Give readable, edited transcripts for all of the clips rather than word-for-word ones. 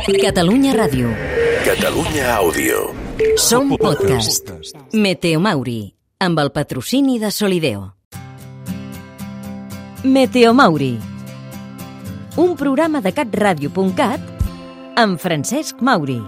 Catalunya Ràdio. Catalunya Àudio. Som podcast. Meteo Mauri, amb el patrocini de Solideo. Meteo Mauri, un programa de catradio.cat amb Francesc Mauri.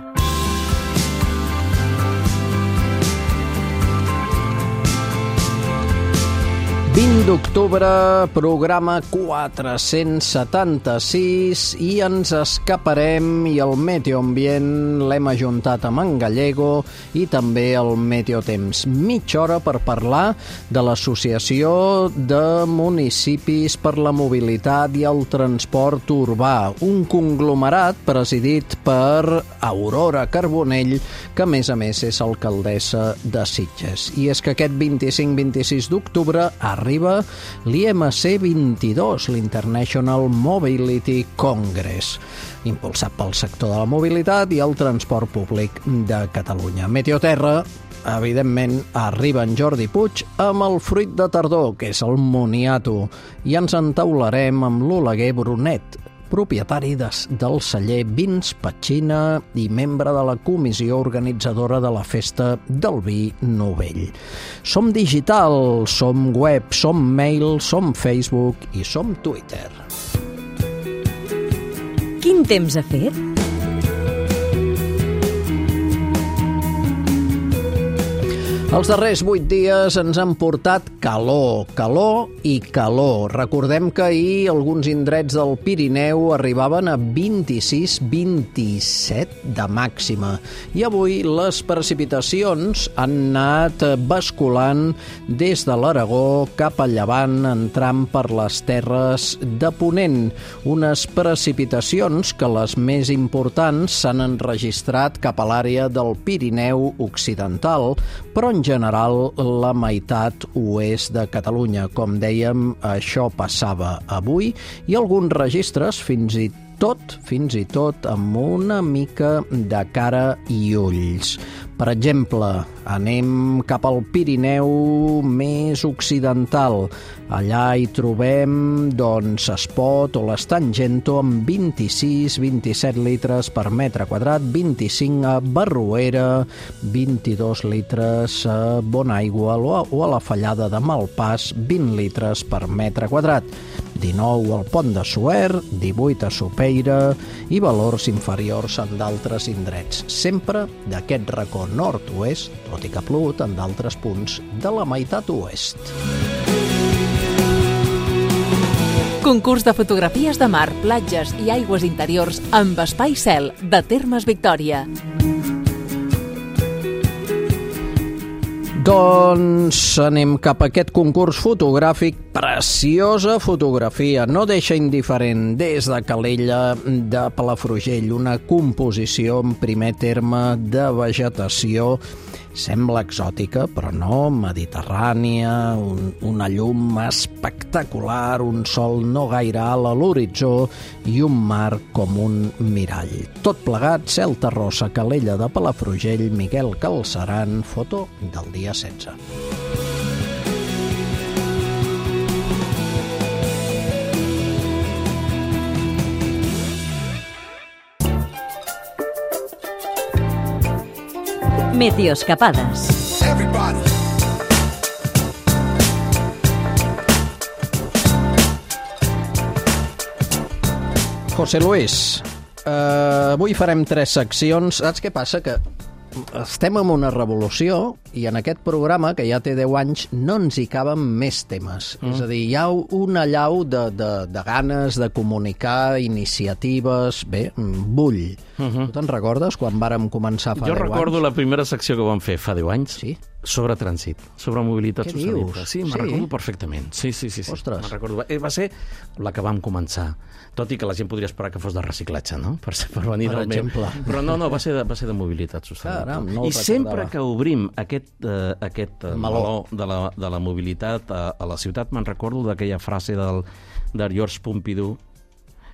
20 d'octubre, programa 476, i ens escaparem, i el meteoambient l'hem ajuntat amb en Gallego i també el meteotemps. Mitja hora per parlar de l'Associació de Municipis per la Mobilitat i el Transport Urbà, un conglomerat presidit per Aurora Carbonell, que a més és alcaldessa de Sitges. I és que aquest 25-26 d'octubre arriba l'IMC 22, l'International Mobility Congress, impulsat pel sector de la mobilitat i el transport públic de Catalunya. Meteoterra, evidentment, arriba en Jordi Puig amb el fruit de tardor, que és el moniato, i ens entaularem amb l'Oleguer Brunet, propietari del celler Vins Petxina i membre de la comissió organitzadora de la Festa del Vi Novell. Som digital, som web, som mail, som Facebook i som Twitter. Quin temps ha fet? Els darrers 8 dies ens han portat calor, calor i calor. Recordem que ahir alguns indrets del Pirineu arribaven a 26-27 de màxima. I avui les precipitacions han anat basculant des de l'Aragó cap a llevant, entrant per les terres de Ponent. Unes precipitacions que les més importants s'han enregistrat cap a l'àrea del Pirineu Occidental, però en general la meitat oest de Catalunya. Com dèiem, això passava avui, i alguns registres fins i tot amb una mica de cara i ulls. Per exemple, anem cap al Pirineu més occidental. Allà hi trobem, Espot o l'Estangento amb 26-27 litres per metre quadrat, 25 a Barruera, 22 litres a Bonaigua o a la Fallada de Malpàs, 20 litres per metre quadrat. 19 al Pont de Suert, 18 a Sopeira i valors inferiors en d'altres indrets. Sempre d'aquest racó nord-oest, tot i que ha plogut en d'altres punts de la meitat oest. Concurs de fotografies de mar, platges i aigües interiors amb Espai Cel, de Termes Victòria. Doncs anem cap a aquest concurs fotogràfic. Preciosa fotografia, no deixa indiferent, des de Calella de Palafrugell, una composició en primer terme de vegetació. Sembla exòtica, però no, mediterrània, una llum espectacular, un sol no gaire alt a l'horitzó i un mar com un mirall. Tot plegat, cel terrosa, Calella de Palafrugell, Miquel Calceran, foto del dia 16. Meteoscapades. José Luis, avui farem 3 seccions. Saps què passa? Que estem en una revolució i en aquest programa, que ja té 10 anys, no ens hi caben més temes. És a dir, hi ha una allau de ganes de comunicar, iniciatives. Bé, bull. Tu te'n recordes quan vàrem començar fa 10 anys? Jo recordo la primera secció que vam fer fa 10 anys. Sí? Sobre trànsit, sobre mobilitat sostenible. Dius? Sí, me'n recordo perfectament. Sí. Ostres. Me'n recordo. Va ser la que vam començar. Tot i que la gent podria esperar que fos de reciclatge, no? Per venir Per del exemple. Però no, va ser de mobilitat sostenible. Caram, no ho I sempre recordava. que obrim aquest meló de la mobilitat a la ciutat, me'n recordo d'aquella frase d'Georges Pompidou,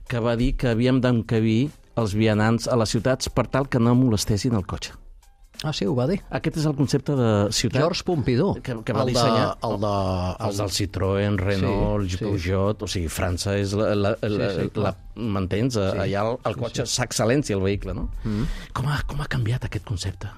que va dir que havíem d'encabir els vianants a les ciutats per tal que no molestessin el cotxe. Ah, sí, ho va dir. Aquest és el concepte de ciutat... Georges Pompidou. Que va dissenyar... Els del Citroën, Renault, Peugeot... O sigui, França és m'entens? Allà el cotxe s'excel·lència, el vehicle, no? Com ha canviat aquest concepte?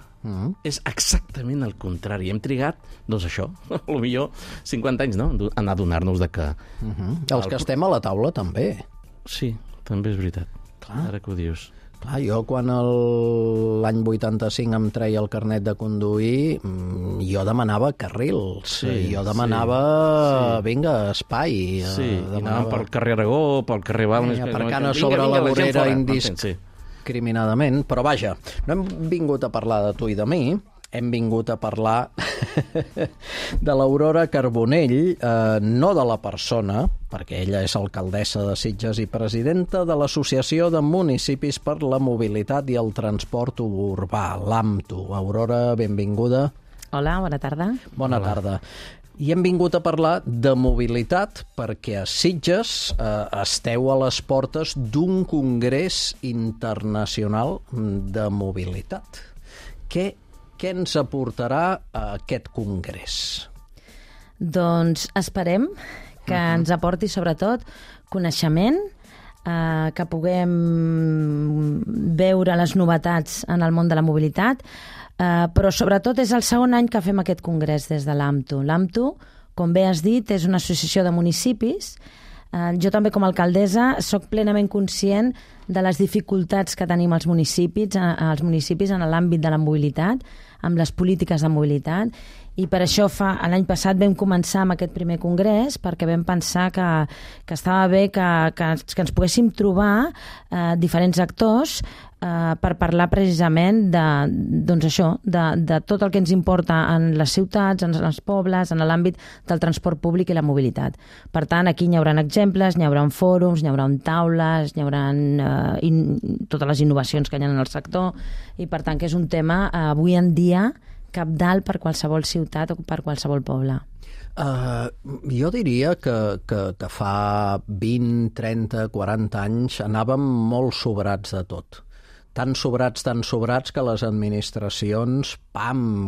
És exactament el contrari. Hem trigat, doncs això, potser 50 anys, no?, en adonar-nos de que... Els que estem a la taula, també. Sí, també és veritat. Clar. Ara que ho dius. Clar, jo quan l'any 85 em treia el carnet de conduir, jo demanava carrils, jo demanava, vinga, espai. Sí, i anàvem pel carrer Aragó, pel carrer Balmes... Aparcant a sobre la vorera indiscriminadament, però vaja, no hem vingut a parlar de tu i de mi, hem vingut a parlar de l'Aurora Carbonell, no de la persona, perquè ella és alcaldessa de Sitges i presidenta de l'Associació de Municipis per la Mobilitat i el Transport Urbà, l'AMTU. Aurora, benvinguda. Hola, bona tarda. Bona tarda. I hem vingut a parlar de mobilitat perquè a Sitges esteu a les portes d'un congrés internacional de mobilitat. Què ens aportarà aquest congrés? Doncs esperem que ens aporti sobretot coneixement, que puguem veure les novetats en el món de la mobilitat, però sobretot és el segon any que fem aquest congrés des de l'AMTU. L'AMTU, com bé has dit, és una associació de municipis. Jo també com a alcaldessa soc plenament conscient de les dificultats que tenim els municipis en l'àmbit de la mobilitat, amb les polítiques de mobilitat, i per això l'any passat vam començar amb aquest primer congrés perquè vam pensar que estava bé que ens poguéssim trobar diferents actors per parlar precisament de tot el que ens importa en les ciutats, en els pobles, en l'àmbit del transport públic i la mobilitat. Per tant, aquí hi haurà exemples, hi haurà fòrums, hi haurà taules, hi haurà totes les innovacions que hi ha en el sector, i per tant que és un tema avui en dia cabdal per qualsevol ciutat o per qualsevol poble. Jo diria que fa 20, 30, 40 anys anàvem molt sobrats de tot. Tan sobrats que les administracions,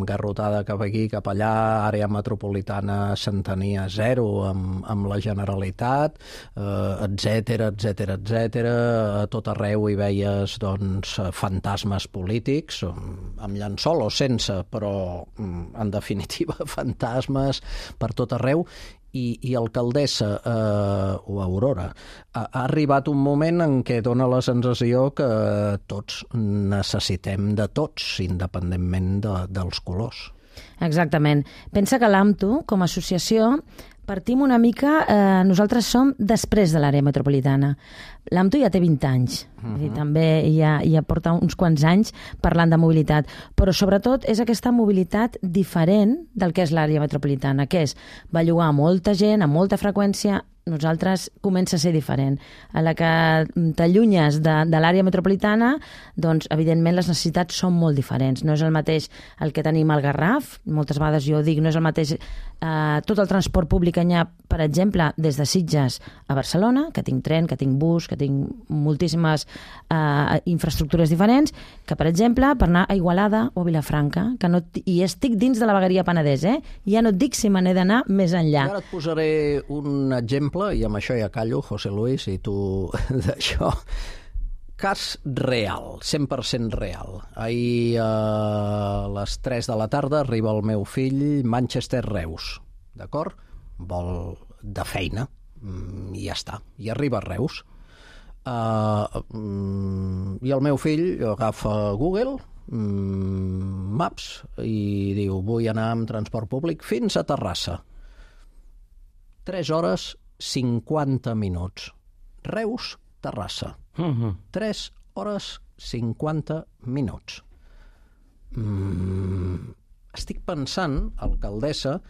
garrotada cap aquí, cap allà, àrea metropolitana s'entenia zero amb la Generalitat, etcètera. A tot arreu hi veies fantasmes polítics, amb llençol o sense, però en definitiva fantasmes per tot arreu. I alcaldessa, o Aurora, ha arribat un moment en què dona la sensació que tots necessitem de tots, independentment dels colors. Exactament. Pensa que l'AMTU, com a associació, partim una mica... nosaltres som després de l'àrea metropolitana. L'AMTU ja té 20 anys, també ja porta uns quants anys parlant de mobilitat, però sobretot és aquesta mobilitat diferent del que és l'àrea metropolitana, que és bellugar molta gent, amb molta freqüència. Nosaltres comença a ser diferent. A la que t'allunyes de l'àrea metropolitana, doncs, evidentment, les necessitats són molt diferents. No és el mateix el que tenim al Garraf, moltes vegades jo dic, no és el mateix tot el transport públic que hi ha, per exemple, des de Sitges a Barcelona, que tinc tren, que tinc bus, que tinc moltíssimes infraestructures diferents, que, per exemple, per anar a Igualada o a Vilafranca, i estic dins de la vegueria Penedès, ja no et dic si me n'he d'anar més enllà. Ara et posaré un exemple, i amb això ja callo, José Luis, i tu d'això. Cas real, 100% real. Ahir a les 3 de la tarda arriba el meu fill Manchester-Reus, d'acord? Vol de feina, i ja està, i arriba a Reus. I el meu fill agafa Google Maps i diu, vull anar amb transport públic fins a Terrassa. 3 hores 50 minuts. Reus, Terrassa. 3 hores 50 minuts. Estic pensant, alcaldessa,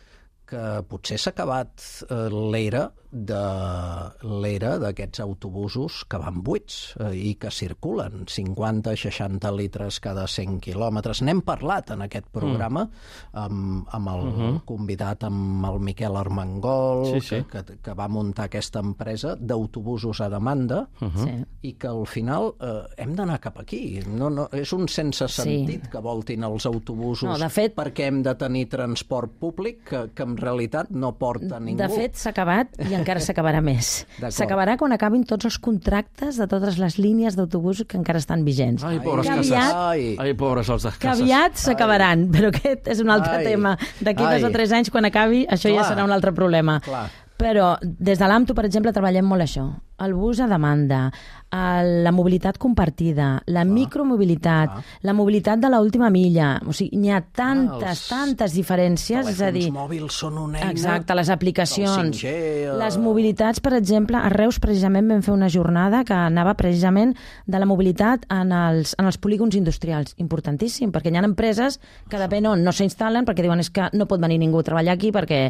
que potser s'ha acabat l'era de l'era d'aquests autobusos que van buits i que circulen 50-60 litres cada 100 quilòmetres. N'hem parlat en aquest programa amb el convidat, amb el Miquel Armengol, que va muntar aquesta empresa d'autobusos a demanda i que al final hem d'anar cap aquí. No, és un sense sentit que voltin els autobusos perquè hem de tenir transport públic que en realitat no porta ningú. De fet, s'ha acabat i encara s'acabarà més. S'acabarà quan acabin tots els contractes de totes les línies d'autobusos que encara estan vigents. Ai, pobres cases. Ai, pobres els de cases. Que aviat s'acabaran, però aquest és un altre tema. D'aquí 2 o 3 anys, quan acabi, això ja serà un altre problema. Però des de l'AMTU, per exemple, treballem molt això. El bus a demanda, la mobilitat compartida, la micromobilitat, la mobilitat de l'última milla. O sigui, n'hi ha tantes diferències. Els telèfons mòbils són una eina. Exacte, les aplicacions. Les mobilitats, per exemple, a Reus precisament vam fer una jornada que anava precisament de la mobilitat en els polígons industrials. Importantíssim, perquè hi ha empreses que depèn on no s'instal·len perquè diuen que no pot venir ningú a treballar aquí perquè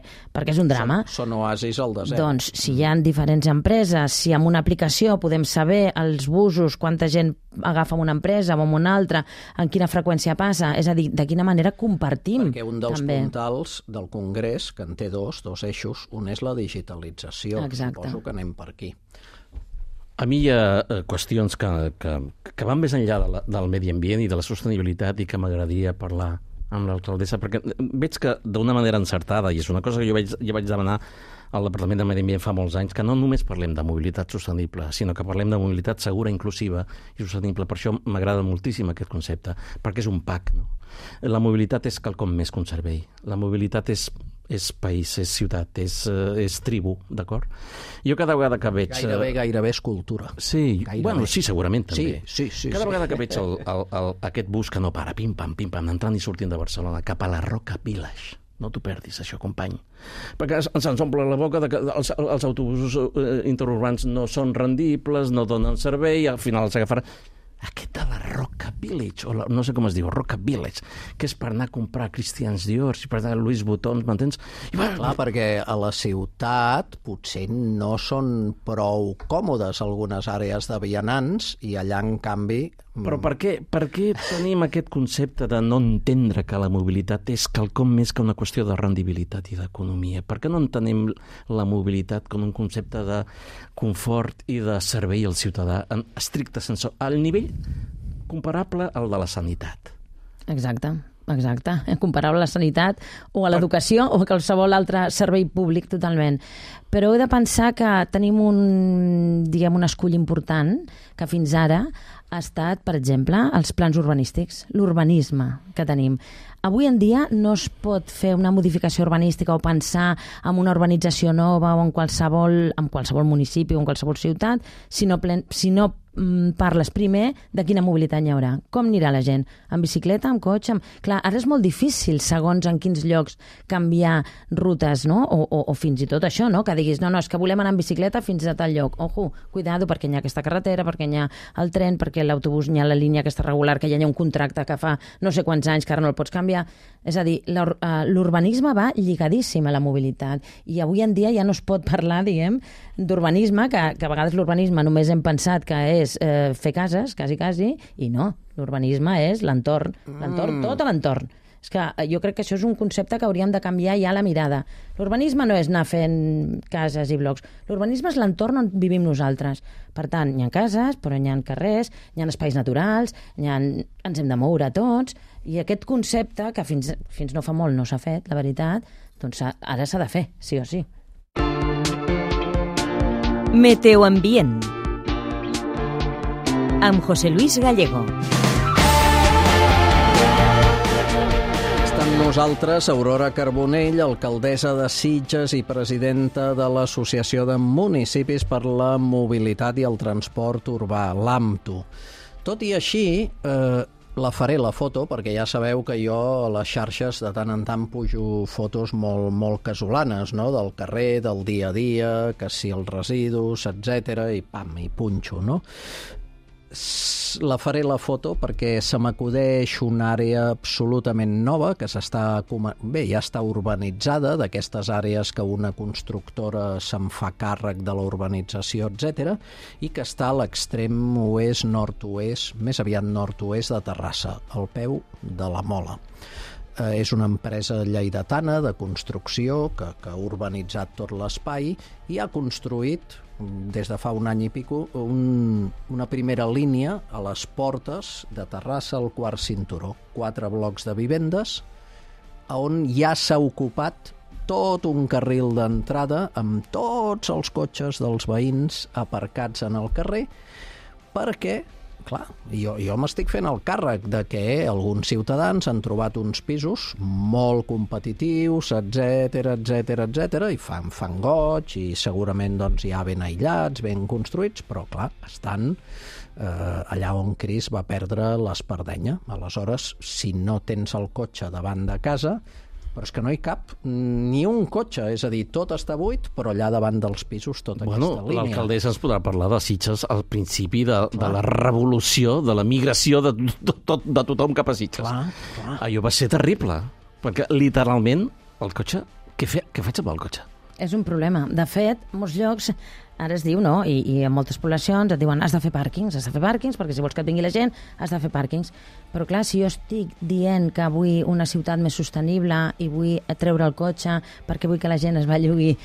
és un drama. Són oasis al desert. Doncs, si hi ha diferents empreses, si amb una aplicació podem saber els busos, quanta gent agafa una empresa o amb una altra, en quina freqüència passa, és a dir, de quina manera compartim. Perquè un dels puntals del Congrés, que en té dos eixos, un és la digitalització. Exacte. Suposo que anem per aquí. A mi hi ha qüestions que van més enllà del medi ambient i de la sostenibilitat i que m'agradaria parlar amb l'alcaldessa, perquè veig que d'una manera encertada, i és una cosa que jo vaig demanar al Departament de Medi Ambient fa molts anys, que no només parlem de mobilitat sostenible, sinó que parlem de mobilitat segura, inclusiva i sostenible. Per això m'agrada moltíssim aquest concepte, perquè és un pack, no? La mobilitat és quelcom més que un servei. La mobilitat és país, és ciutat, és tribu, d'acord? Jo cada vegada que veig... Gairebé és cultura. Sí, bueno, sí, segurament també. Sí. Cada vegada que veig aquest bus que no para, pim-pam, entrant i sortint de Barcelona cap a la Roca Village, no t'ho perdis, això, company. Perquè se'ns omple la boca que els autobusos interurbans no són rendibles, no donen servei, al final s'agafarà... Aquest de la Roca Village, o no sé com es diu, Roca Village, que és per anar a comprar Christians Dior, per anar a Louis Vuitton, m'entens? Clar, perquè a la ciutat potser no són prou còmodes algunes àrees de vianants i allà, en canvi... Però per què tenim aquest concepte de no entendre que la mobilitat és quelcom més que una qüestió de rendibilitat i d'economia? Per què no entenem la mobilitat com un concepte de confort i de servei al ciutadà en estricte sensu, al nivell comparable al de la sanitat? Exacte, comparable a la sanitat o a l'educació o a qualsevol altre servei públic, totalment. Però he de pensar que tenim un escull important que fins ara ha estat, per exemple, els plans urbanístics, l'urbanisme que tenim. Avui en dia no es pot fer una modificació urbanística o pensar en una urbanització nova o en qualsevol municipi o en qualsevol ciutat si no parles primer de quina mobilitat hi haurà. Com anirà la gent? En bicicleta, en cotxe? Clar, ara és molt difícil, segons en quins llocs, canviar rutes, no? O fins i tot això, no? Que diguis, no, és que volem anar en bicicleta fins a tal lloc. Ojo, cuidado, perquè hi ha aquesta carretera, perquè hi ha el tren, perquè l'autobús hi ha la línia aquesta regular, que ja hi ha un contracte que fa no sé quants anys que ara no el pots canviar. És a dir, l'urbanisme va lligadíssim a la mobilitat i avui en dia ja no es pot parlar, diguem, d'urbanisme, que a vegades l'urbanisme només hem pensat que és fer cases, quasi, i no. L'urbanisme és l'entorn, tot l'entorn. És que jo crec que això és un concepte que hauríem de canviar ja la mirada. L'urbanisme no és anar fent cases i blocs. L'urbanisme és l'entorn on vivim nosaltres. Per tant, hi ha cases, però hi ha carrers, hi ha espais naturals, ens hem de moure tots, i aquest concepte, que fins no fa molt no s'ha fet, la veritat, doncs ara s'ha de fer, sí o sí. Meteoambient amb José Luis Gallego. Està amb nosaltres Aurora Carbonell, alcaldessa de Sitges i presidenta de l'Associació de Municipis per la Mobilitat i el Transport Urbà, l'AMTU. Tot i així, la faré la foto, perquè ja sabeu que jo a les xarxes de tant en tant pujo fotos molt casolanes, no? Del carrer, del dia a dia, que si els residus, etc. i pam, i punxo, no? La faré la foto perquè se m'acudeix una àrea absolutament nova que ja està urbanitzada, d'aquestes àrees que una constructora se'n fa càrrec de la urbanització, etc., i que està a l'extrem oest, nord-oest, més aviat nord-oest de Terrassa, al peu de la Mola. És una empresa lleidatana de construcció que ha urbanitzat tot l'espai i ha construït des de fa un any i pico una primera línia a les portes de Terrassa al quart cinturó, 4 blocs de vivendes on ja s'ha ocupat tot un carril d'entrada amb tots els cotxes dels veïns aparcats en el carrer perquè, clar, jo m'estic fent el càrrec de que alguns ciutadans han trobat uns pisos molt competitius, etc, i fan goig, i segurament doncs, ja ben aïllats, ben construïts, però clar, estan allà on Cris va perdre l'espardenya. Aleshores, si no tens el cotxe davant de casa, però és que no hi cap ni un cotxe, és a dir, tot està buit, però allà davant dels pisos tota aquesta línia. L'alcaldessa ens podrà parlar de Sitges al principi de la revolució, de la migració de tothom cap a Sitges. Clar. Allò va ser terrible, perquè literalment el cotxe, què faig amb el cotxe? És un problema. De fet, en molts llocs ara es diu, no? I en moltes poblacions et diuen has de fer pàrquings, perquè si vols que et vingui la gent has de fer pàrquings. Però clar, si jo estic dient que vull una ciutat més sostenible i vull treure el cotxe perquè vull que la gent es bellugui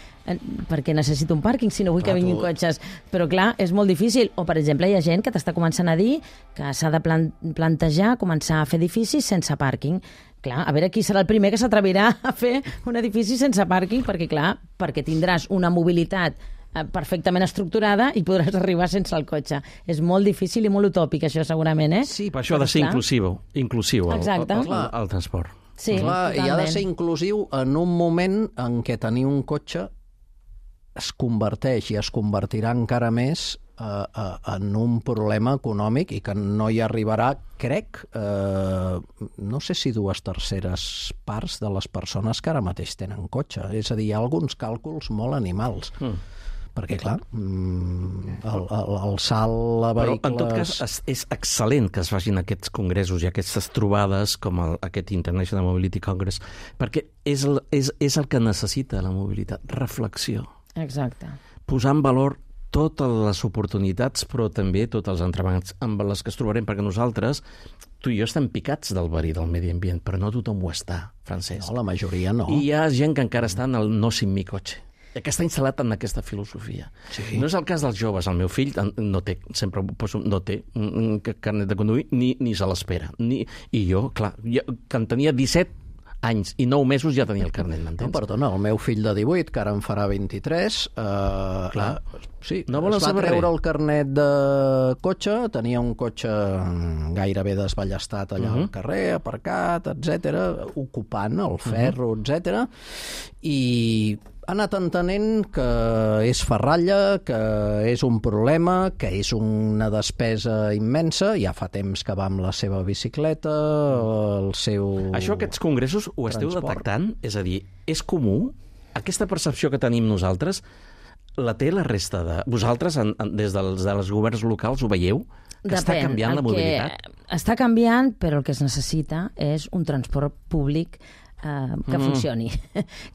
perquè necessito un pàrquing, si no vull que vinguin cotxes. Però clar, és molt difícil. O, per exemple, hi ha gent que t'està començant a dir que s'ha de plantejar començar a fer edificis sense pàrquing. Clar, a veure qui serà el primer que s'atrevirà a fer un edifici sense pàrquing, perquè tindràs una mobilitat perfectament estructurada i podràs arribar sense el cotxe. És molt difícil i molt utòpic, això, segurament, eh? Sí, per això ha de ser inclusiu el transport. Sí, clar, i ha de ser inclusiu en un moment en què tenir un cotxe es converteix i es convertirà encara més en un problema econòmic i que no hi arribarà, crec, no sé si 2/3 parts de les persones que ara mateix tenen cotxe. És a dir, hi ha alguns càlculs molt animals. Perquè, clar, el salt a vehicles... Però, en tot cas, és excel·lent que es facin aquests congressos i aquestes trobades com aquest International Mobility Congress, perquè és el que necessita la mobilitat, reflexió. Exacte. Posar en valor totes les oportunitats, però també tots els entrebancs amb les que es trobarem, perquè nosaltres, tu i jo estem picats del verí del medi ambient, però no tothom ho està, Francesc. No, la majoria no. I hi ha gent que encara està en el no sin mi cotxe, que està instal·lat en aquesta filosofia. Sí. No és el cas dels joves. El meu fill no té, sempre no té carnet de conduir, ni se l'espera. I jo, clar, que en tenia 17 anys i 9 mesos ja tenia el carnet, m'entens? No, perdona, el meu fill de 18, que ara en farà 23, sí, no es va treure el carnet de cotxe, tenia un cotxe gairebé desballestat allà al carrer, aparcat, etc, ocupant el ferro, etc, i ha anat entenent que és ferralla, que és un problema, que és una despesa immensa. Ja fa temps que va amb la seva bicicleta, el seu... Això, aquests congressos, ho esteu detectant? És a dir, és comú? Aquesta percepció que tenim nosaltres, la té la resta de... Vosaltres, des dels governs locals, ho veieu? Que està canviant la mobilitat? Està canviant, però el que es necessita és un transport públic que funcioni.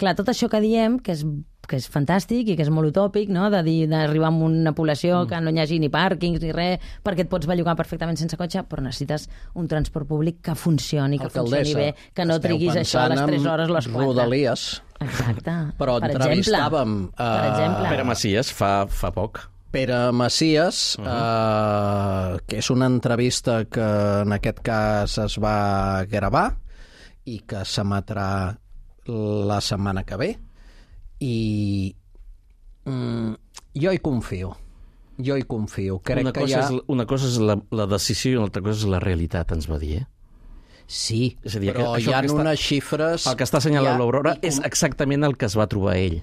Clar, tot això que diem, que és fantàstic i que és molt utòpic, no? D'arribar a una població que no hi hagi ni pàrquings ni res, perquè et pots bellugar perfectament sense cotxe, però necessites un transport públic que funcioni, que funcioni bé, que no triguis això a les 3 hores o les 4. Rodalies. Exacte. Però entrevistàvem... Pere Macias fa poc. Pere Macias, que és una entrevista que en aquest cas es va gravar i que s'emetrà la setmana que ve, i jo hi confio. Crec una cosa és la decisió i una altra cosa és la realitat, ens va dir, Sí, és a dir, però hi ha unes xifres... El que està assenyalant l'Aurora és exactament el que es va trobar ell.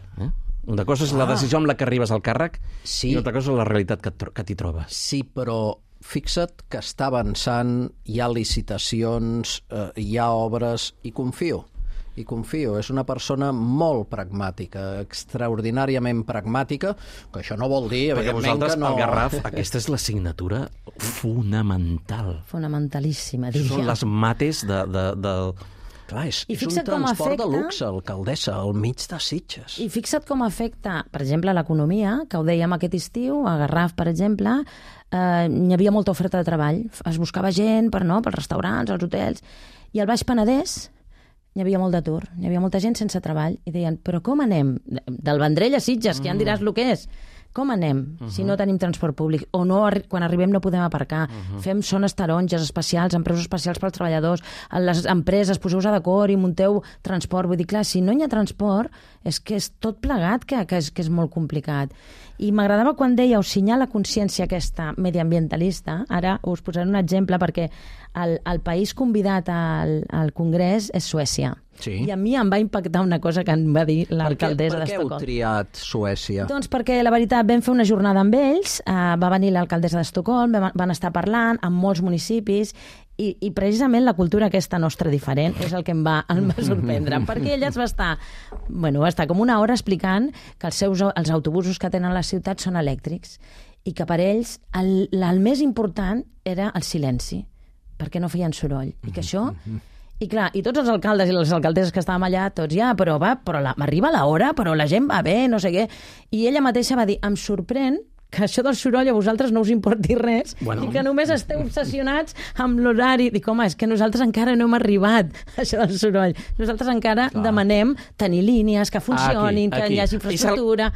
Una cosa és la decisió amb la que arribes al càrrec i una altra cosa és la realitat que t'hi trobes. Sí, però fixa't que està avançant, hi ha licitacions, hi ha obres, i confio. hi confio. És una persona molt pragmàtica, extraordinàriament pragmàtica, que això no vol dir, perquè evidentment, vosaltres, que no... el Garraf, aquesta és l'assignatura fonamental. Fonamentalíssima, diria. Són les mates de... Clar, és un fixa't com transport afecta- de luxe, alcaldessa, al mig de Sitges. I fixa't com afecta, per exemple, l'economia, que ho dèiem aquest estiu, a Garraf, per exemple, hi havia molta oferta de treball. Es buscava gent pels restaurants, els hotels, i al Baix Penedès hi havia molt d'atur, hi havia molta gent sense treball, i deien, però com anem? Del Vendrell a Sitges, que ja em diràs el que és. Com anem si no tenim transport públic? O no, quan arribem no podem aparcar. Fem zones taronges especials, empreses especials pels treballadors, les empreses, poseu-vos d'acord i munteu transport. Vull dir, clar, si no hi ha transport, és que és tot plegat que és molt complicat. I m'agradava quan dèieu senyar la consciència aquesta mediambientalista. Ara us posaré un exemple perquè el país convidat al Congrés és Suècia. Sí. I a mi em va impactar una cosa que em va dir l'alcaldessa Per què heu d'Estocolm. triat Suècia? Doncs perquè, la veritat, vam fer una jornada amb ells, va venir l'alcaldessa d'Estocolm, van estar parlant amb molts municipis, i precisament la cultura aquesta nostra diferent és el que em va sorprendre, perquè ella va estar com una hora explicant que els autobusos que tenen a la ciutat són elèctrics, i que per ells el més important era el silenci, perquè no feien soroll, i que això... I clar, i tots els alcaldes i les alcaldesses que estàvem allà, tots però m'arriba l'hora, però la gent va bé, no sé què. I ella mateixa va dir, em sorprèn que això del soroll a vosaltres no us importi res i que només esteu obsessionats amb l'horari. Dic, home, és que nosaltres encara no hem arribat a això del soroll. Nosaltres encara demanem tenir línies que funcionin, que hi hagi infraestructura.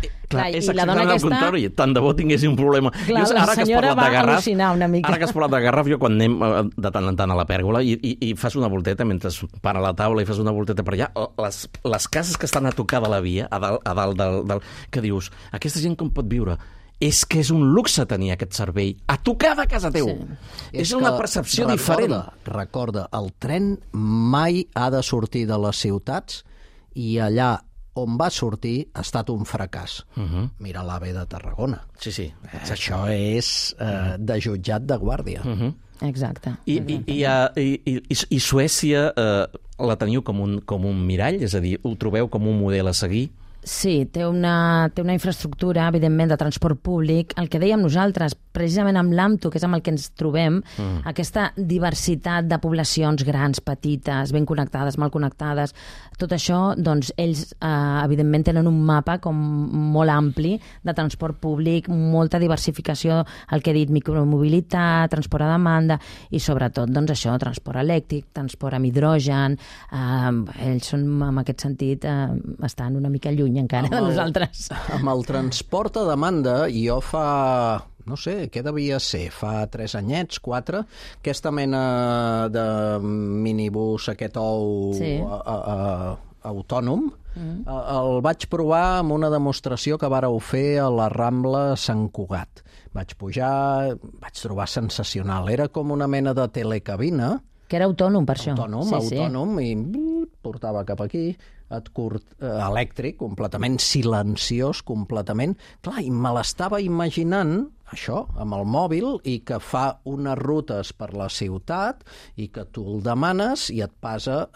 És exactament el contrari. Tant de bo tinguessin un problema. Clar, la senyora va al·lucinar una mica. Ara que has parlat de Garraf, jo quan anem de tant en tant a la pèrgola i fas una volteta, mentre para la taula i fas una volteta per allà, les cases que estan a tocar de la via, a dalt del... que dius, aquesta gent com pot viure? És que és un luxe tenir aquest servei a tocar de casa teu. Sí. És una percepció diferent. Recorda, el tren mai ha de sortir de les ciutats i allà on va sortir ha estat un fracàs. Mira l'AVE de Tarragona. Sí. Això és de jutjat de guàrdia. Exacte. I Suècia la teniu com un mirall? És a dir, ho trobeu com un model a seguir? Sí, té una infraestructura, evidentment, de transport públic. El que dèiem nosaltres, precisament amb l'AMTO, que és amb el que ens trobem, aquesta diversitat de poblacions grans, petites, ben connectades, mal connectades, tot això, doncs, ells, evidentment, tenen un mapa com molt ampli de transport públic, molta diversificació, el que he dit, micromobilitat, transport a demanda, i sobretot, doncs, això, transport elèctric, transport amb hidrogen. Ells són, en aquest sentit, estan una mica lluny encara de nosaltres. Amb el transport a demanda, jo fa, no sé, què devia ser, fa 3 anyets, 4, aquesta mena de minibús, aquest autònom, el vaig provar amb una demostració que vàreu fer a la Rambla Sant Cugat. Vaig pujar, vaig trobar sensacional. Era com una mena de telecabina. Que era autònom, per això. Autònom, i portava cap aquí, elèctric, completament silenciós, completament. Clar, i me l'estava imaginant, això, amb el mòbil, i que fa unes rutes per la ciutat, i que tu el demanes i et passa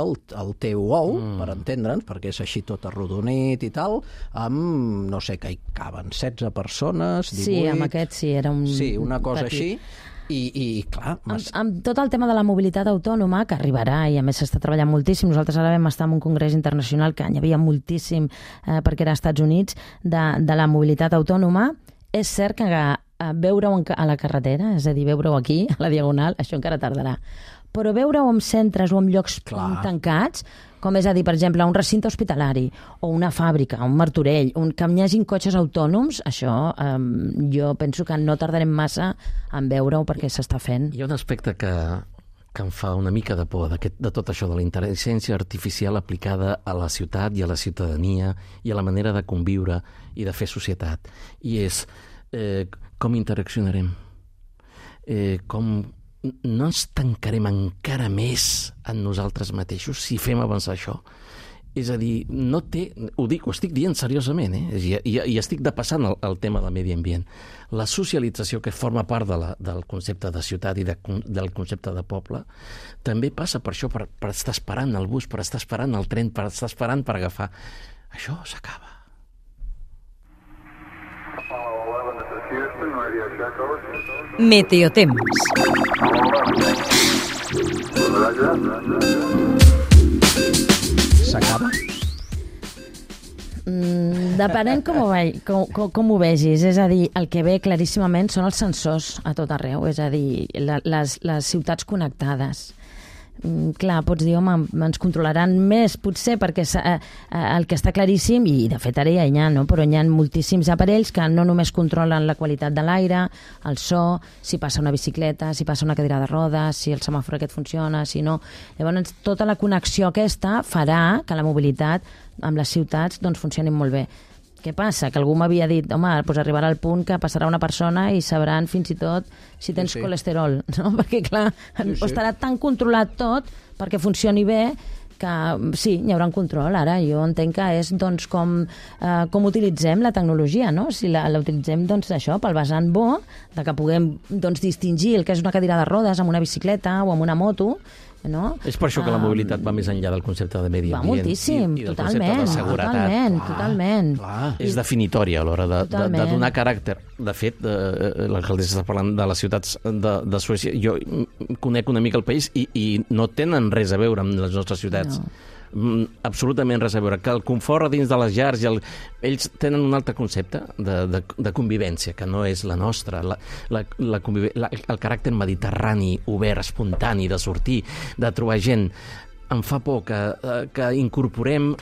el teu ou, per entendre'ns, perquè és així tot arrodonit i tal, amb, no sé, que hi caben 16 persones, 18... Sí, amb aquest sí, era un... Sí, una cosa petit. així. I clar... Amb tot el tema de la mobilitat autònoma, que arribarà, i a més s'està treballant moltíssim, nosaltres ara vam estar en un congrés internacional que n'hi havia moltíssim, perquè era als Estats Units, de la mobilitat autònoma. És cert que veure-ho a la carretera, és a dir, veure-ho aquí, a la Diagonal, això encara tardarà. Però veure-ho en centres o en llocs tancats, com és a dir, per exemple, un recinte hospitalari o una fàbrica, un Martorell, que hi hagin cotxes autònoms, això jo penso que no tardarem massa en veure-ho perquè s'està fent. Hi ha un aspecte que em fa una mica de por de tot això de la intel·ligència artificial aplicada a la ciutat i a la ciutadania i a la manera de conviure i de fer societat. I és com interaccionarem, com no ens tancarem encara més en nosaltres mateixos si fem avançar això. És a dir, no té... Ho estic dient seriosament, i estic depassant el tema del medi ambient. La socialització, que forma part del concepte de ciutat i del concepte de poble, també passa per això, per estar esperant el bus, per estar esperant el tren, per estar esperant per agafar. Això s'acaba. Meteotemes. S'acaba? Depenent com ho vegis. És a dir, el que ve claríssimament són els sensors a tot arreu, és a dir, les ciutats connectades. Clar, pots dir, home, ens controlaran més, potser, perquè el que està claríssim, i de fet ara ja hi ha, no? Però hi ha moltíssims aparells que no només controlen la qualitat de l'aire, el so, si passa una bicicleta, si passa una cadira de rodes, si el semàfor aquest funciona, si no. Llavors, tota la connexió aquesta farà que la mobilitat amb les ciutats doncs, funcionin molt bé. Què passa? Que algú m'havia dit, home, doncs arribarà al punt que passarà una persona i sabran fins i tot si tens colesterol, no? Perquè, clar, estarà tan controlat tot perquè funcioni bé que sí, hi haurà un control. Ara jo entenc que és doncs, com utilitzem la tecnologia, no? Si la utilitzem doncs, això pel vessant bo, de que puguem doncs, distingir el que és una cadira de rodes amb una bicicleta o amb una moto, no? És per això que la mobilitat va més enllà del concepte de medi ambient. Va moltíssim, i del concepte de seguretat. Totalment. És definitòria a l'hora de donar caràcter. De fet, l'alcaldessa està parlant de les ciutats de Suècia. Jo conec una mica el país i no tenen res a veure amb les nostres ciutats. No. Absolutament res a veure. Que el confort dins de les llars ells tenen un altre concepte de convivència, que no és la nostra. El caràcter mediterrani, obert, espontani, de sortir, de trobar gent. Em fa por que incorporem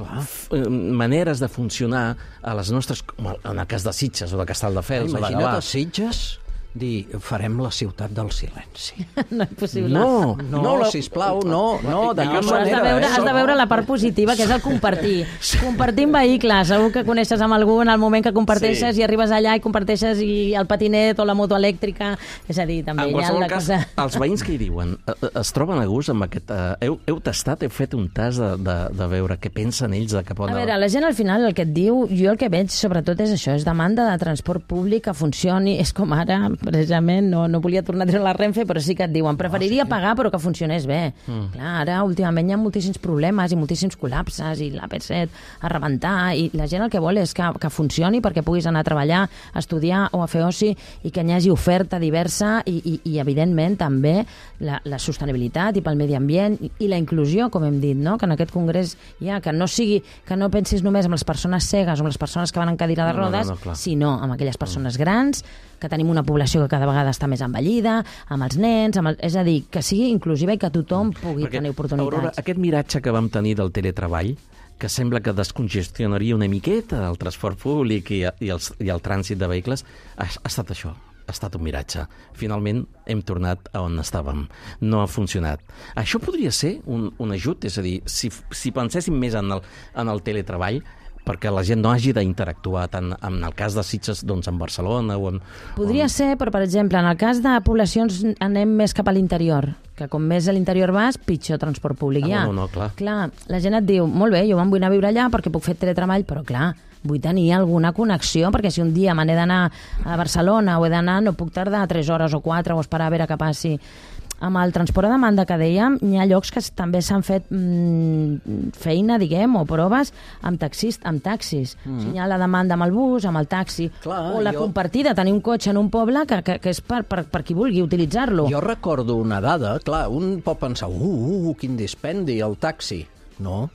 maneres de funcionar a les nostres... En el cas de Sitges o de Castelldefels. Imagina't a Sitges dir, farem la ciutat del silenci. No és possible. No, sisplau, no. Has de veure la part positiva, que és el compartir. Compartir en vehicle. Segur que coneixes amb algú en el moment que comparteixes i arribes allà i comparteixes el patinet o la moto elèctrica. És a dir, també hi ha la cosa... Els veïns que hi diuen, es troben a gust amb aquest... Heu tastat, heu fet un tas de veure què pensen ells de cap on... A veure, la gent al final el que et diu, jo el que veig sobretot és això, és demanda de transport públic que funcioni, és com ara... precisament, no volia tornar a treure la Renfe, però sí que et diuen, preferiria pagar però que funcionés bé. Clar, ara últimament hi ha moltíssims problemes i moltíssims col·lapses i l'AP7 a rebentar i la gent el que vol és que funcioni perquè puguis anar a treballar, a estudiar o a fer oci i que hi hagi oferta diversa i evidentment també la sostenibilitat i pel medi ambient i la inclusió, com hem dit, no? Que en aquest congrés hi ha, que no pensis només en les persones cegues o en les persones que van en cadira de rodes, sinó en aquelles persones grans, que tenim una població que cada vegada està més envellida, amb els nens, és a dir, que sigui inclusiva i que tothom pugui tenir oportunitats. Aurora, aquest miratge que vam tenir del teletreball, que sembla que descongestionaria una miqueta el transport públic i el trànsit de vehicles, ha estat això. Ha estat un miratge. Finalment hem tornat a on estàvem. No ha funcionat. Això podria ser un ajut, és a dir, si penséssim més en el teletreball, perquè la gent no hagi d'interactuar tant en el cas de Sitges, doncs en Barcelona o en... Podria ser, però per exemple, en el cas de poblacions anem més cap a l'interior, que com més a l'interior vas, pitjor transport públic hi ha. No, clar. Clar, la gent et diu, molt bé, jo me'n vull anar a viure allà perquè puc fer teletreball, però clar, vull tenir alguna connexió, perquè si un dia me n'he d'anar a Barcelona o he d'anar, no puc tardar 3 hores o 4 o esperar a veure què passi. Amb el transport a demanda que dèiem, hi ha llocs que també s'han fet feina, diguem, o proves amb taxis. O sigui, hi ha la demanda amb el bus, amb el taxi, o la compartida, tenir un cotxe en un poble que és per qui vulgui utilitzar-lo. Jo recordo una dada, clar, un pot pensar, quin dispendi, el taxi. No,